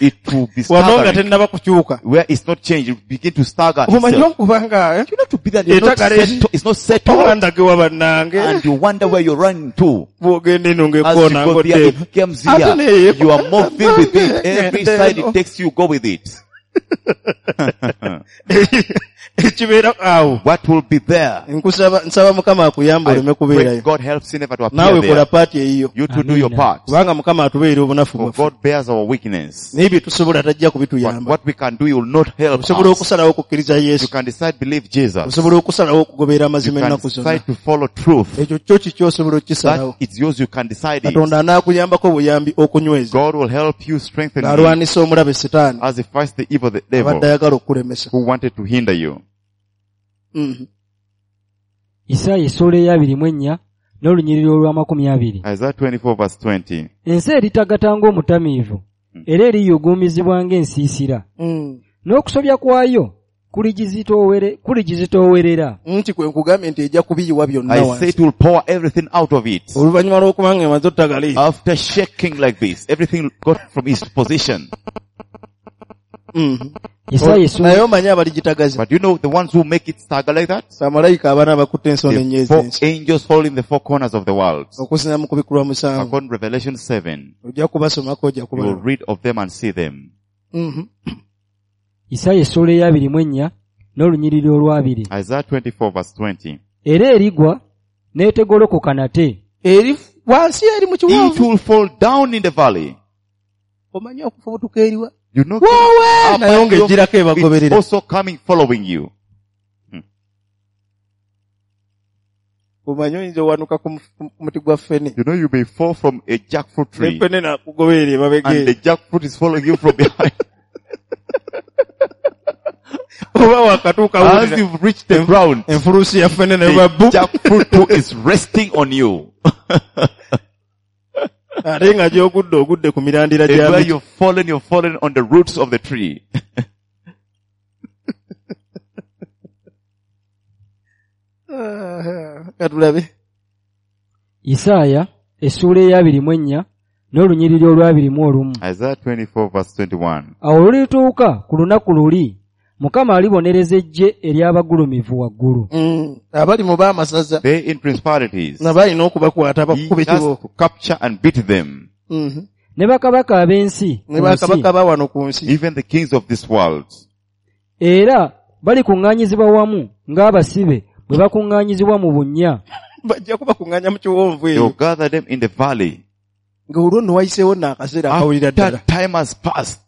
It will be Wano nga staggering. tennaba kukyuka. Where it's not changed, it will begin to stagger Omanyi itself. okubanga You know to be that it's not Etagala eri. settled, it's not settled. owandagewa bannange And you wonder where you're running to. bw'ogenda eno As you ng'ekkoona go there, ng'odde it comes Ate here. naye You are moving with it. Every side Eno. it takes you, go with it. Ekibeera awo. What will be there? Nkusaba nsaba Mukama akuyambe I oleme pray kubeerayo. God helps you never to appear Naawe kola there. paati eyiyo. You to do your Amina. part. Kubanga Mukama atubeera obunafu For bwaffe. God bears our weakness. Naye bye tusobola tajja But kubituyamba. what we can do, He will not help Osobola us. okusalawo okukkiriza You Yesu. can decide believe Jesus. Osobola okusalawo okugoberera You amazima can ennaku zonna. decide to follow truth. Ekyo kyo kiki osobola okukisalawo. That it's yours, you can decide it. Katonda anaakuyambako buyambi okunyweza. God will help you strengthen you Ng'alwanisa omulabe Sitaani as he fights the evil, the abadde devil ayagala okukulemesa. who wanted to hinder you. Mhm. Isaaya essuula ey'abiri mu ennya n'olunyiriri olw'amakumi abiri. Isaiah 24 verse 20. Ensi eritagata ng'omutamiivu era eriyuguumizibwa ng'ensiisira. N'okusobya kwayo kuligizitoowerera. Nti kwe nkugambye nti ejja kubiyiwa byonna I say wansi. it will pour everything out of it. Oluvannyuma lw'okuba nga emaze ottagala eyo. After shaking like this, everything got from its position. Mhm. Isaaya essuula Naye omanyi abaligitagaza. But you know the ones who make it stagger like that? Bamalayika abana abakutte ensonda The ennyo four ez'ensi. angels holding the four corners of the world. Okusinza mu kubikulwa musanvu. According to Revelation 7, Ojja kubasomako ojja you will kubalaba. read of them and see them. Mhm. Isaaya essuula ey'abiri mu ennya n'olunyiriri olw'abiri. Isaiah 24 verse 20. Era erigwa n'etegolokoka nate. Eri wansi eri mu It kiwonvu. will fall down in the valley. Omanyi okufubutuka eriwa. You know, Woowe! up Naye and ng'ejjirako it's ebagoberera. also coming following you. Omanyi oyinza owanuka ku muti gwa ffene. You know, you may fall from a jackfruit Ne tree ffene n'akugoberera emabega and eyo. the jackfruit is following you from behind. Oba wakatuuka As wulira you've reached the ground, enfulusi ya ffene ne ba the bu. jackfruit too is resting on you. Ate nga gy'ogudde ogudde ku mirandira And gya where miti. you've fallen on the roots of the tree. Katulabe. Isaaya essuula eya 24 n'olunyiriri olwa 21. Isaiah 24 verse 21. Awo olulituuka ku lunaku luli, Mukama alibonereza eggye ery'abagulumivu waggulu. Abali mu baamasaza They in principalities. nga balina okubakwata He bakuba has ekibooko. to capture and beat them. Ne bakabaka ab'ensi Ne ku nsi, bakabaka ba wano ku nsi. Even the kings of this world. Era balikuŋŋaanyizibwa wamu ng'abasibe bwe bakuŋŋaanyizibwa mu bunnya. Bajja kubakuŋŋaanya mu kiwonvu They will eyo. gather them in the valley. Ng'olwo nno wayiseewo nno akaseera akawulira ddala. After time has passed,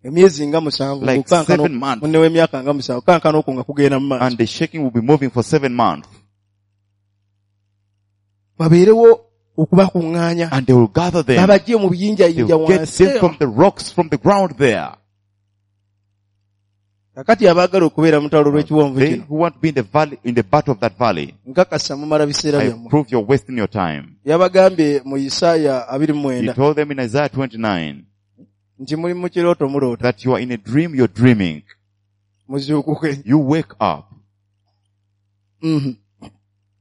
Emyezi nga 7 like okukankana 7 months, munne w'emyaka nga 7 okukankana okwo nga kugenda mu maaso. and the shaking will be moving for 7 months. Babeerewo okubakuŋŋaanya. And they will gather them. Babajje mu They biyinjayinja will get wansi. them from the rocks, from the ground there. Kakati abaagala okubeera mu lutalo lw'ekiwonvu They kino. who want to be in the valley, in the battle of that valley, Nkakasa mumala biseera I byammwe. prove you're wasting your time. Yabagambye mu Isaaya abiri mu He mwenda told them in Isaiah 29 nti muli mu kirooto muloota that you are in a dream, you're dreaming. muzuukuke. You wake up.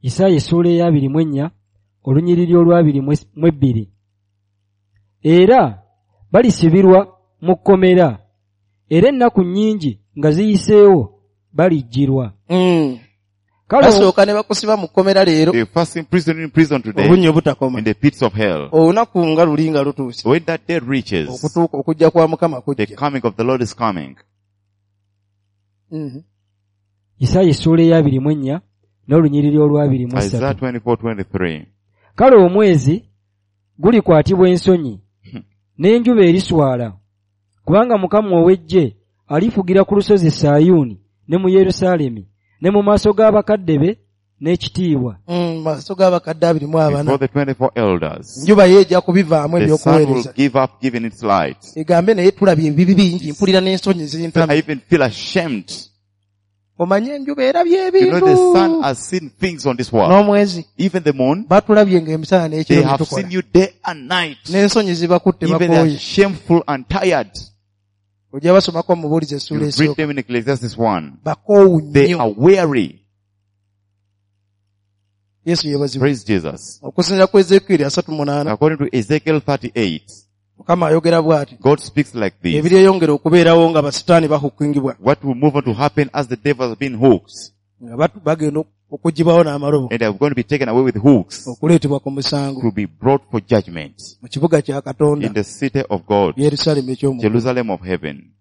Isaaya essuula eya 24 olunyiriri olwa 22. Era balisibirwa mu kkomera, era ennaku nnyingi nga ziyiseewo balijjirwa. Kale Basooka ne bakusiba mu kkomera leero They first imprison you in prison today, obunnya obutakoma. in the pits of hell. Olunaku nga luli nga lutuuse When that day reaches, okutuuka okujja kwa Mukama the kujja. coming of the Lord is coming. Isaaya essuula eya 24 n'olunyiriri olwa 23. Isaiah 24, 23. Kale omwezi gulikwatibwa ensonyi n'enjuba eriswala, kubanga Mukama ow'eggye alifugira ku lusozi Sayuuni ne mu Yerusaalemi ne mu maaso g'abakadde be n'ekitiibwa. Maaso g'abakadde 24. Before the 24 elders, Njuba ye ejja kubivaamu the sun will ebyokuweereza. give up giving its light. Egambe naye tulabye ebibi bingi mpulira n'ensonyi I zintamye. even feel ashamed. Omanye enjuba erabye You know, the sun ebintu has seen things on this world. n'omwezi Even the moon, batulabye ng'emisana they n'ekiro have byetukola. seen you day and night. N'ensonyi zibakutte Even they are bakooye. shameful and tired. Ojja basomako mubuulizi essuula You read esooka. them in Ecclesiastes 1. Bakoowu They nnyo. are weary. Yesu yeebazibwe. Praise Jesus. Okusinziira ku Ezekieri 38 According to Ezekiel 38, Mukama ayogera bw'ati. God speaks like this. Ebiryeyongera okubeerawo nga basitaani bahukingibwa What will move on to happen as the devil has been hooked nga bagenda okugibwawo n'amalobo and they are going to be taken away with hooks okuleetebwa ku musango to be brought for judgment mu kibuga kya Katonda in the city of God, Yerusaalemi eky'omu. Jerusalem of heaven.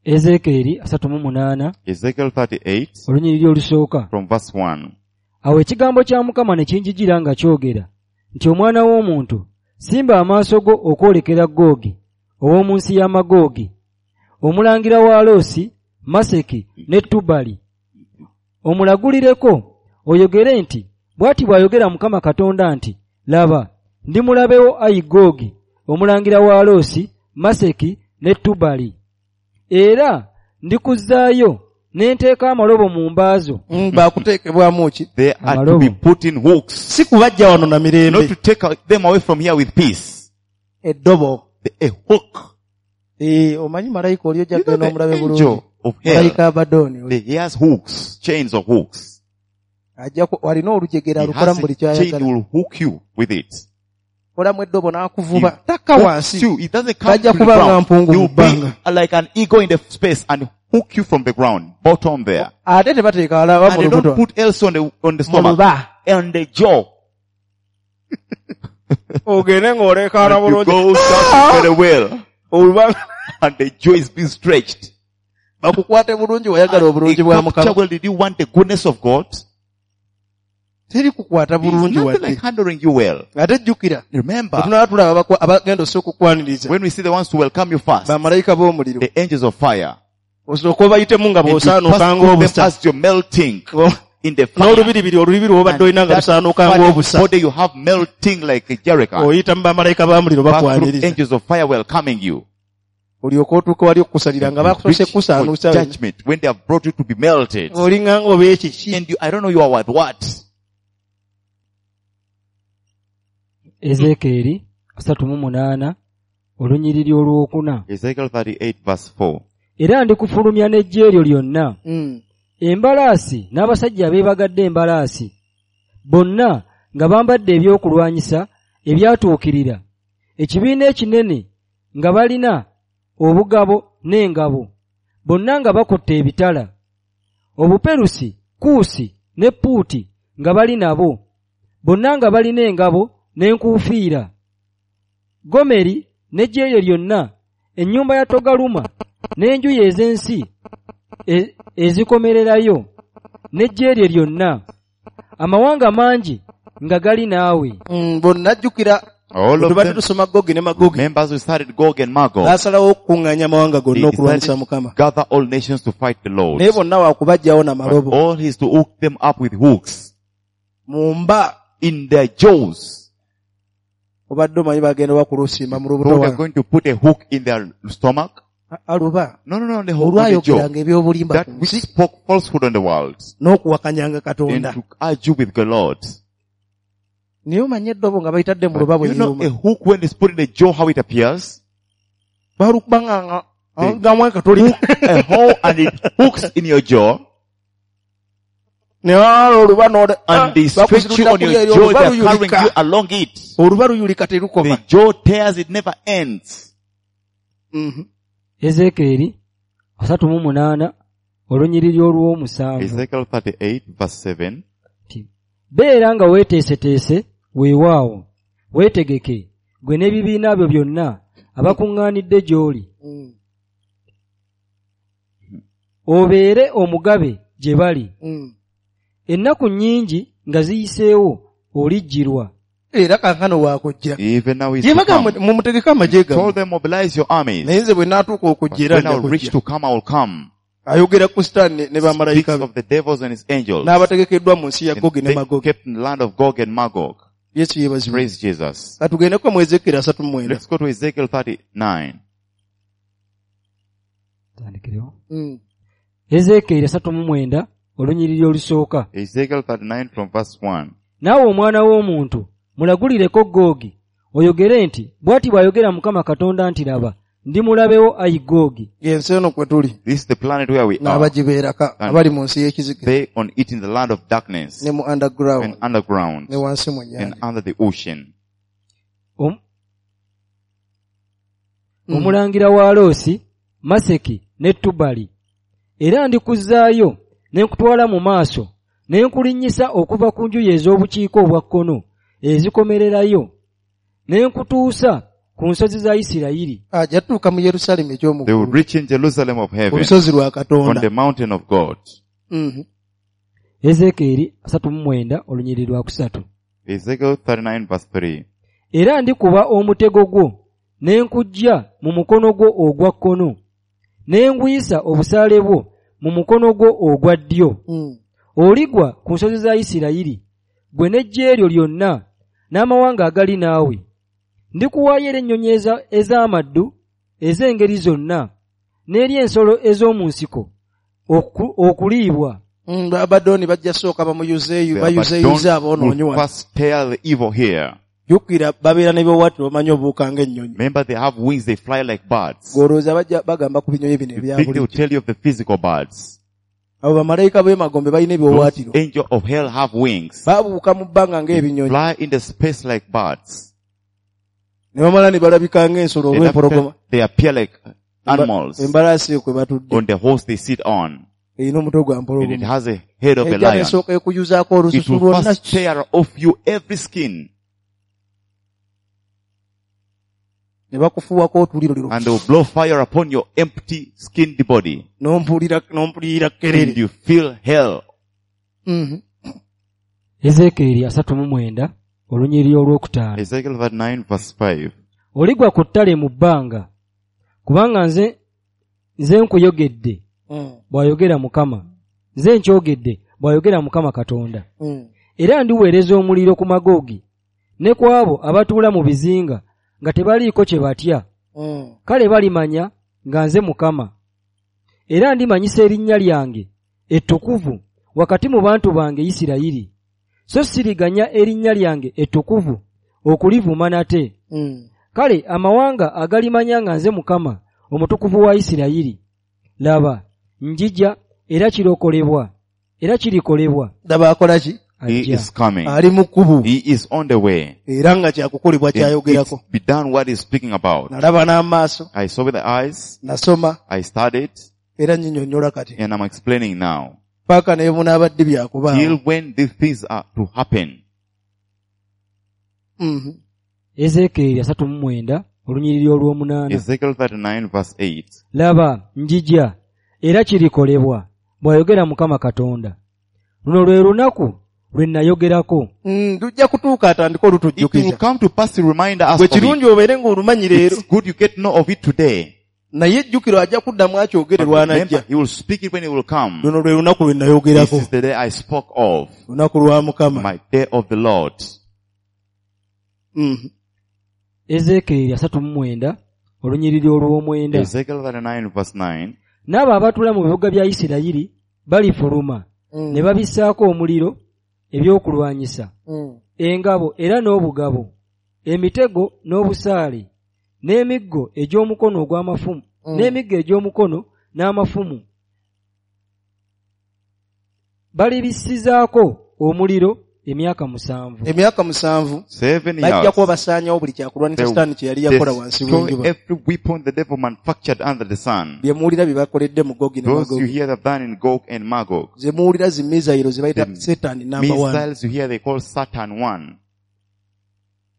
Ezeekeeri 38 Ezekiel 38 olunyiriri olusooka. from verse 1. Awo ekigambo kya Mukama ne kinjijira nga kyogera nti omwana w'omuntu simba amaaso go okwolekera Googi ow'omu nsi ya Magoogi omulangira wa Loosi, Maseki ne Tubali omulagulireko oyogere nti bw'ati bw'ayogera Mukama Katonda nti laba ndi mulabewo ayi Googi omulangira wa Loosi, Maseki ne Tubali era ndikuzzaayo ne nteeka amalobo mu mbaazo. Bakuteekebwamu ki? They are to Amalobo. be put in hooks, Si kubajja wano na not mirembe. to take them away from here with peace. Eddobo. A hook. Eh, omanyi malayika oli ojja You know, kugenda the omulabe angel bulungi. of hell, Malayika Abadooni he has hooks, chains of hooks. ajja alina olujegere He alukolamu has buli a chain, he ky'ayagala. will hook you with it. Kolamu eddobo He n'akuvuba takka hooks wansi. you. It doesn't come Tajja to the kuba nga ground. mpungu He mu will bbanga. be like an eagle in the space and hook you from the ground, bottom there. Ate tebateeka alaba And mu they don't lubuto. put else on the Mu stomach. luba. And the jaw. Ogende ng'oleekaana And you bulungi. go down very well. Oluba And the jaw is being stretched. bakukwate bulungi wayagala obulungi bwa A capture, Mukama. well, did you want the goodness of God? Teri kukwata It's bulungi nothing wadde. like handling you well. Ate jjukira Remember, bwe tunaaba tulaba abagenda osooka okukwaniriza when we see the ones to welcome you first, bamalayika b'omuliro the angels of fire, osooka obayitemu nga and you pass bw'osaanuuka through them ng'obusa as you're melting in the fire. n'olubiribiri olubiri lw'obadde olina nga And that lusaanuuka burning ng'obusa body you have melting like a jerrycan. oyita mu bamalayika b'omuliro Pass through bakwaniriza angels of fire welcoming you. olyoke otuuke wali okukusalira nga bakusoose Reach for kukusaanuusa judgment when they have brought you to be melted. olinga ng'oba ekiki And you, I don't know you are with what. Ezeekeeri 38 olunyiriri olwokuna. Ezekiel 38 verse 4. Era ndikufulumya n'eggye eryo lyonna Embalaasi n'abasajja abeebagadde embalaasi bonna nga bambadde ebyokulwanyisa ebyatuukirira, ekibiina ekinene nga balina obugabo n'engabo, bonna nga bakutte ebitala. Obuperusi, Kuusi ne Puuti nga bali nabo, bonna nga balina engabo n'enkuufiira. Gomeri n'eggye lye lyonna, ennyumba ya Togaluma n'enjuyi ez'ensi ezikomererayo n'eggye lye lyonna, amawanga mangi nga gali naawe. Bonna jjukira All of tubadde them, tusoma Gogi ne Magogi. members who started Gog and Magog, N'asalawo okukuŋŋaanya amawanga they gonna okulwanyisa decided Mukama. to gather all nations to fight the Lord. Naye bonna wakubaggyawo na But malobo. all is to hook them up with hooks Mu mba in their jaws. obadde omanyi bagenda bakulusimba mu lubuto So they're wano. going to put a hook in their stomach. Aluba No, the hook on the jaw. olwayogeranga ebyobulimba That ku which nsi spoke falsehood on the world n'okuwakanyanga and Katonda. to argue with the Lord. Naye omanye eddobo nga bayitadde mu luba But bwe you know, liruma. a hook when it's put in the jaw, how it appears? Balukuba nga gamu akatuli. A hole and it hooks in your jaw Ne wala oluba n'oda- and they stretch you on bakusitulira your eri jaw, oluba they're carrying luyulika. you along it. Oluba luyulika terukoma. The jaw tears, it never ends. Mhm. Ezeekyeri 38 olunyiriri olw'omusanvu. Ezekiel 38 verse 7. Nti, beera nga weeteeseteese weewaawo, weetegeke ggwe n'ebibiina byo byonna abakuŋŋaanidde gy'oli. Obeere omugabe gye bali. Ennaku nnyingi nga ziyiseewo olijjirwa. Era kaakano waakujja. Even now he's Ye to bagamba come. mumutegeke amagye Told gammwe. them mobilize your armies. Naye nze bwe naatuuka But okujja era when nja I will reach kujja. to come, I will come. Ayogera ku Sitaani ne Speaks bamalayika be of the devils and his angels. n'abategekeddwa mu nsi ya And Gogi ne they Magogi. kept in the land of Gog and Magog. Yesu yeebazibwe. Praise Jesus. Katugendeko mu Ezeekyeri 39. Let's go to Ezekiel 39. Tandikirewo. Ezeekyeri 39 olunyiriri olusooka. Ezekiel 39 from verse 1. Naawe omwana w'omuntu mulagulireko Googi oyogere nti bw'ati bw'ayogera Mukama Katonda nti laba ndi mulabewo ayi Googi. Y'ensi eno kwe tuli This is the planet where we are. n'abagibeerako abali mu nsi y'ekizikiza They on it in the land of darkness ne mu underground and underground ne wansi mu and nnyanja. under the ocean. Omulangira wa Loosi, Maseki ne Tubali. Era ndikuzzaayo ne nkutwala mu maaso ne nkulinnyisa okuva ku njuyi ez'obukiika obwa kkono ezikomererayo ne nkutuusa ku nsozi za Isirayiri. Ajja tuuka mu Yerusaalemi eky'omu They will ggulu, reach in Jerusalem of ku heaven lusozi lwa on Katonda. the mountain of God. Ezeekyeri 39 olunyiriri lwa kusatu. Ezekiel 39 verse 3. Era ndikuba omutego gwo ne nkuggya mu mukono gwo ogwa kkono ne ngwisa obusaale bwo mu mukono gwo ogwa ddyo. Oligwa ku nsozi za Isirayiri ggwe n'eggye lyo lyonna n'amawanga agali naawe. Ndikuwaayo eri ennyonyi ez'amaddu ez'engeri zonna n'eri ensolo ez'omu nsiko okuliibwa. Abadooni bajja sooka bamuyuzeeyu The bayuzeeyuze Abaddon aboonoonyi will wano. first tear the evil here. Jjukira babeera n'ebiwaawaatiro bamanyi obuuka ng'ennyonyi. Remember they have wings, they fly like birds. Gw'olowooza bajja bagamba ku binyonyi bino You ebya think they will bulijjo. tell you of the physical birds. Abo bamalayika b'emagombe balina Those ebiwaawaatiro. angel of hell have wings. Babuuka mu bbanga They ng'ebinyonyi. fly in the space like birds. Ne bamala ne balabika ng'ensolo And after olw'empologoma. they appear like animals Embalaasi kwe batudde. on the horse they sit on. Erina omutwe gwa And it mpologoma. has a head of a Ejja lion. n'esooka ekuyuzaako It olususu will lwonna. first tear off you every skin Ne bakufuuwako otuliro and they will blow fire upon your empty skinned body. N'ompulira And kerere. you feel hell. Ezeekyeri 39 olunyiriri olwokutaano. Ezekiel 39 verse 5. Oligwa ku ttale mu bbanga kubanga nze nkuyogedde bw'ayogera Mukama. Nze nkyogedde bw'ayogera Mukama Katonda. Era ndiweereza omuliro ku Magogi ne ku abo abatuula mu bizinga nga tebaliiko kye batya. Kale balimanya nga nze Mukama. Era ndimanyisa erinnya lyange ettukuvu wakati mu bantu bange Isirayiri. So siriganya erinnya lyange ettukuvu okulivuma nate. Kale amawanga agalimanya nga nze Mukama omutukuvu wa Isirayiri. Laba, njija Era kirokolebwa, era kirikolebwa. Daba akola ki? He is coming. Ali mu kkubo. He is on the way. Era nga kyakukolebwa kyayogerako. It's be done what he's speaking about. Nalaba n'amaaso. I saw with the eyes. Nasoma. I studied. Era nnyinnyonnyola kati. And I'm explaining now. Paka ne bunaabadde byakubaawo. Till when these things are to happen. Ezeekyeri 39 olunyiriri olw'omunaana. Ezekiel 39 verse 8. Laba njija era kirikolebwa, bw'ayogera Mukama Katonda. Luno lwe lunaku lwe nayogerako. Lujja kutuuka atandike olutujjukiza. It will come to pass to remind us Gwe of it. kirungi obeere ng'olumanyi leero. It's good you get know of it today. Naye ejjukiro ajja kuddamu akyogere lw'anajja. He will speak it when he will come. Luno lwe lunaku lwe nayogerako. This is the day I spoke of. Lunaku lwa Mukama. My day of the Lord. Ezeekyeri 39 olunyiriri olw'omwenda. Ezekiel 39 verse 9. N'abo abatuula mu bibuga bya Isirayiri balifuluma ne babissaako omuliro ebyokulwanyisa, engabo era n'obugabo, emitego n'obusaale, n'emiggo egy'omukono ogw'amafumu, n'emiggo egy'omukono n'amafumu. Balibisizaako omuliro emyaka 7. Emyaka 7. 7 years. Bajja kuba basaanyawo buli kyakulwanyisa Sitaani kye yali yakola wansi w'enjuba. Every weapon the devil manufactured under the sun. Bye muwulira bye bakoledde mu Gogi ne Magog. Those you hear they've done in Gog and Magog. Ze muwulira zi missile ze bayita Satan number 1. Missiles you hear they call Satan 1.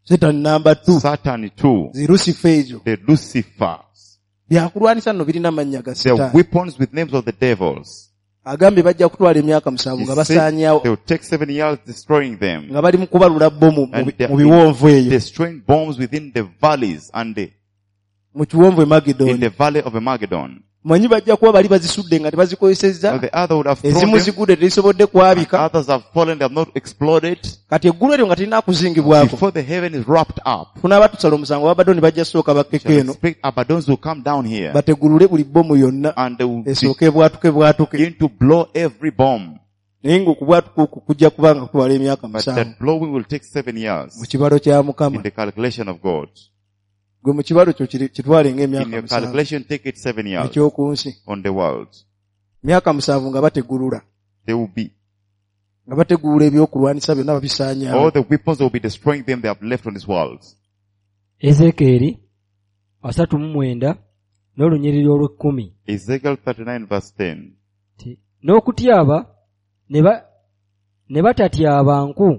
Satan number 2. Satan 2. Zi Lucifer ezo. The Lucifers. Byakulwanyisa nno birina amannya ga Sitaani. The weapons with names of the devils. Agambye bajja kutwala emyaka 7 nga basaanyawo. They will take 7 years destroying them. Nga bali mu kubalula bbomu mu biwonvu eyo. Destroying bombs within the valleys and the mu kiwonvu Magedon. In the valley of Magedon. Manyi bajja kuba bali bazisudde nga tebazikozesezza. The other would have thrown Ezimu them. zigudde tezisobodde kwabika. Others have fallen, they have not exploded. Kati eggulu eryo nga terina kuzingibwako. Before the heaven is wrapped up. Tunaaba tusala omusango Abadoni bajja sooka bakkeko eno. Expect Abadons will come down here. Bategulule buli bbomu yonna. And they will esooke ebwatuke bwatuke. Begin to blow every bomb. Naye ng'okubwatuka okwo kujja kuba nga kutwala emyaka 7. But that blowing will take 7 years. Mu kibalo kya Mukama. In the calculation of God. Gwe mu kibalo kyo kitwale ng'emyaka 7. In your calculation, take it 7 years. Eky'oku nsi. On the world. Myaka 7 nga bategulula. They will be. Nga bategulula ebyokulwanyisa byonna babisaanyaawo. All the weapons will be destroying them they have left on this world. Ezeekyeri 39 n'olunyiriri olw'ekkumi. Ezekiel 39 verse 10. N'okutyaba ne batatyaba nku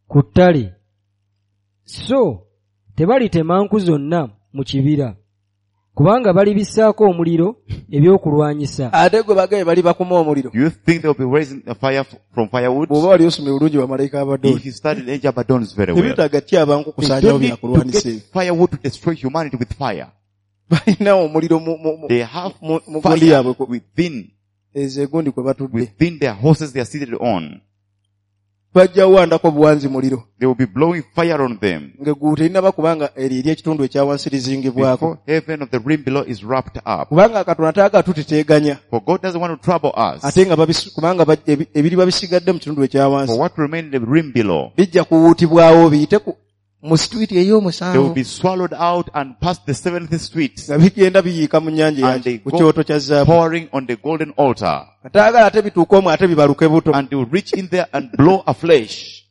ku ttale. So tebalitema nku zonna mu kibira, kubanga balibissaako omuliro ebyokulwanyisa. Ate gwe bagaye bali bakuma omuliro. Do you think they will be raising the fire from firewood? Bw'oba wali osomye bulungi bamalayika Abadoni. If you studied Angel Abadons very well. Tebeetaaga tyaba nku kusaanyawo byakulwanyisa ebyo. Firewood to destroy humanity with fire. Balina omuliro They have mu gundi yaabwe within ezo egundi kwe batudde. Within their horses they are seated on. Bajja kuwandako buwanzi muliro. They will be blowing fire on them. Ng'eggulu terinaba kubanga eryo eri ekitundu ekya wansi lizingibwako. Before heaven of the rim below is wrapped up. Kubanga Katonda taagala tuteteeganya. For God doesn't want to trouble us. Ate nga kubanga ebiriba bisigadde mu kitundu ekya wansi. For what remain in the rim below. Bijja kuwuutibwawo biyite mu street ey'omusanvu. They will be swallowed out and past the 7th street. Nga bigenda biyiika mu nnyanja ku kyoto kya zaabu. Pouring on the golden altar. Ataagala ate bituuke omwo ate bibaluke buto. And they will reach in there and blow afresh.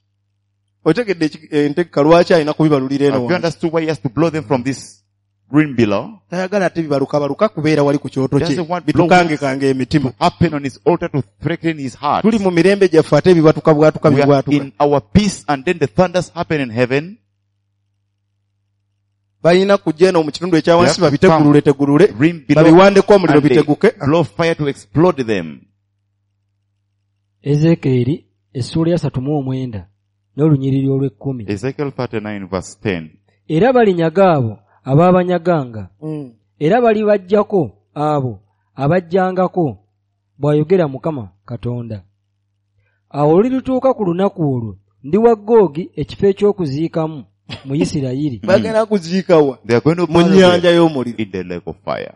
Otegedde entegeka lwaki alina kubibalulira eno. Have you understood why he has to blow them from this rim below? Tayagala ate bibalukabaluka kubeera wali ku kyoto kye. Bitukangekanga emitima. Happen on his altar to threaten his heart. Tuli mu mirembe gyaffe ate bibatuka bwatuka bibwatuka. In our peace and then the thunders happen in heaven. Balina kujja eno mu kitundu ekya wansi babitegulule tegulule babiwandeko omuliro biteguke. Blow fire to explode them. Ezeekyeri essuula ya 39 n'olunyiriri olw'ekkumi. Ezekiel 39 verse 10. Era balinyaga abo abaabanyaganga. Era balibajjako abo abajjangako, bw'ayogera Mukama Katonda. Awo olulituuka ku lunaku olwo ndiwa Googi ekifo eky'okuziikamu mu Isirayiri. Bagenda kuziikawa mu nnyanja y'omuliro. In the lake of fire.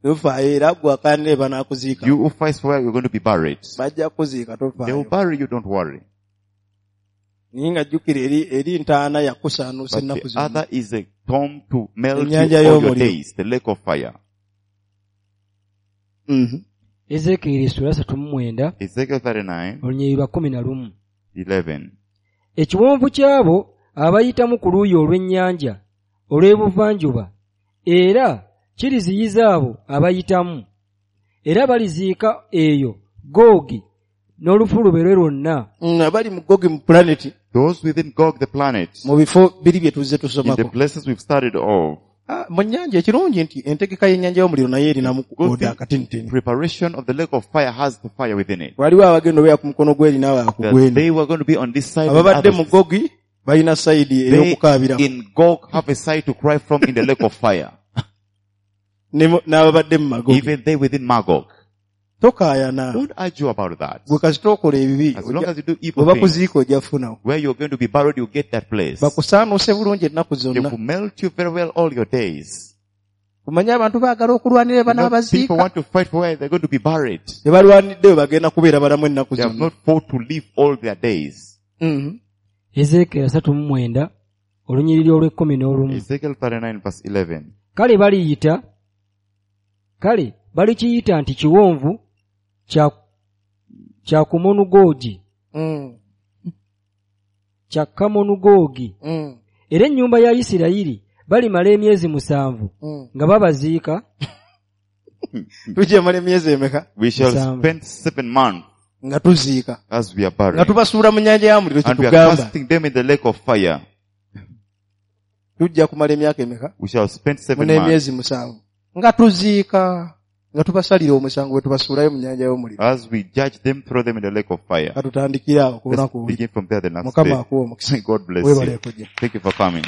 Tofaayo era gwe akanire banaakuziika. You who fight for you're going to be buried. Bajja kuziika tofaayo. They will bury you, don't worry. Naye nga jjukira eri ntaana yakusaanuusa ennaku zonna. The other is a tomb to melt you all your days, the lake of fire. Ezeekyeri essula 39 Ezekiel 39, olunyiriri lwa 11. 11. Ekiwonvu ky'abo abayitamu ku luuyi olw'ennyanja olw'ebuvanjuba era kiriziyiza abo abayitamu era baliziika eyo Googi n'olufulube lwe lwonna. Abali mu Gogi mu planet, Those within Gog the planet, mu bifo biri bye tuzze in the tusomako. places we've started off, Ah, mu nnyanja ekirungi nti entegeka y'ennyanja y'omuliro naye erinamu Good oda thing. akatinitini. Preparation of the lake of fire has the fire within it. Waliwo abagenda obeera ku mukono gw'eri n'abalala ku That gw'eno. they were going to be on this side. and Ababadde mu others. Gogi balina sayidi They ey'okukaabiramu in Gog have a side to cry from in the lake of fire. n'ababadde mu Magogi. Even they within Magog. Tokaayana. Don't argue about that. Gwe kasita okola ebibi, As long as you do bwe evil things, bakuziika ojja kufunawo. where you're going to be buried, you get that place. Bakusaanuuse bulungi ennaku They zonna. will melt you very well all your days. Omanye abantu baagala okulwanira You know, people banaabaziika. want to fight for where they're going to be buried. Tebalwanidde we bagenda kubeera balamu ennaku They have zonna. not fought to live all their days. Ezeekyeri 39 olunyiriri olw'e11. Ezekiel 39 verse 11. Kale balikiyita nti kiwonvu kya Kamonugoogi kya Kamonugoogi. Era ennyumba ya Isirayiri balimala emyezi 7 nga babaziika. Tujja mala emyezi emeka? We shall Musanvu. spend 7 months Nga tuziika. as we are Nga buried. tubasuula mu nnyanja ya muliro And we are kyetugamba. casting them in the lake of fire. Tujja kumala emyaka emeka? We shall spend 7 Muna months emyezi 7 nga tuziika, nga tubasalira omusango bwe tubasuulayo mu nnyanja y'omuliro. as we judge them, throw them in the lake of fire. Katutandikire awo ku Let's lunaku oluli. begin from there the next Mukama day. akuwe omukisa. God bless Weebale you. kujja. Thank you for coming.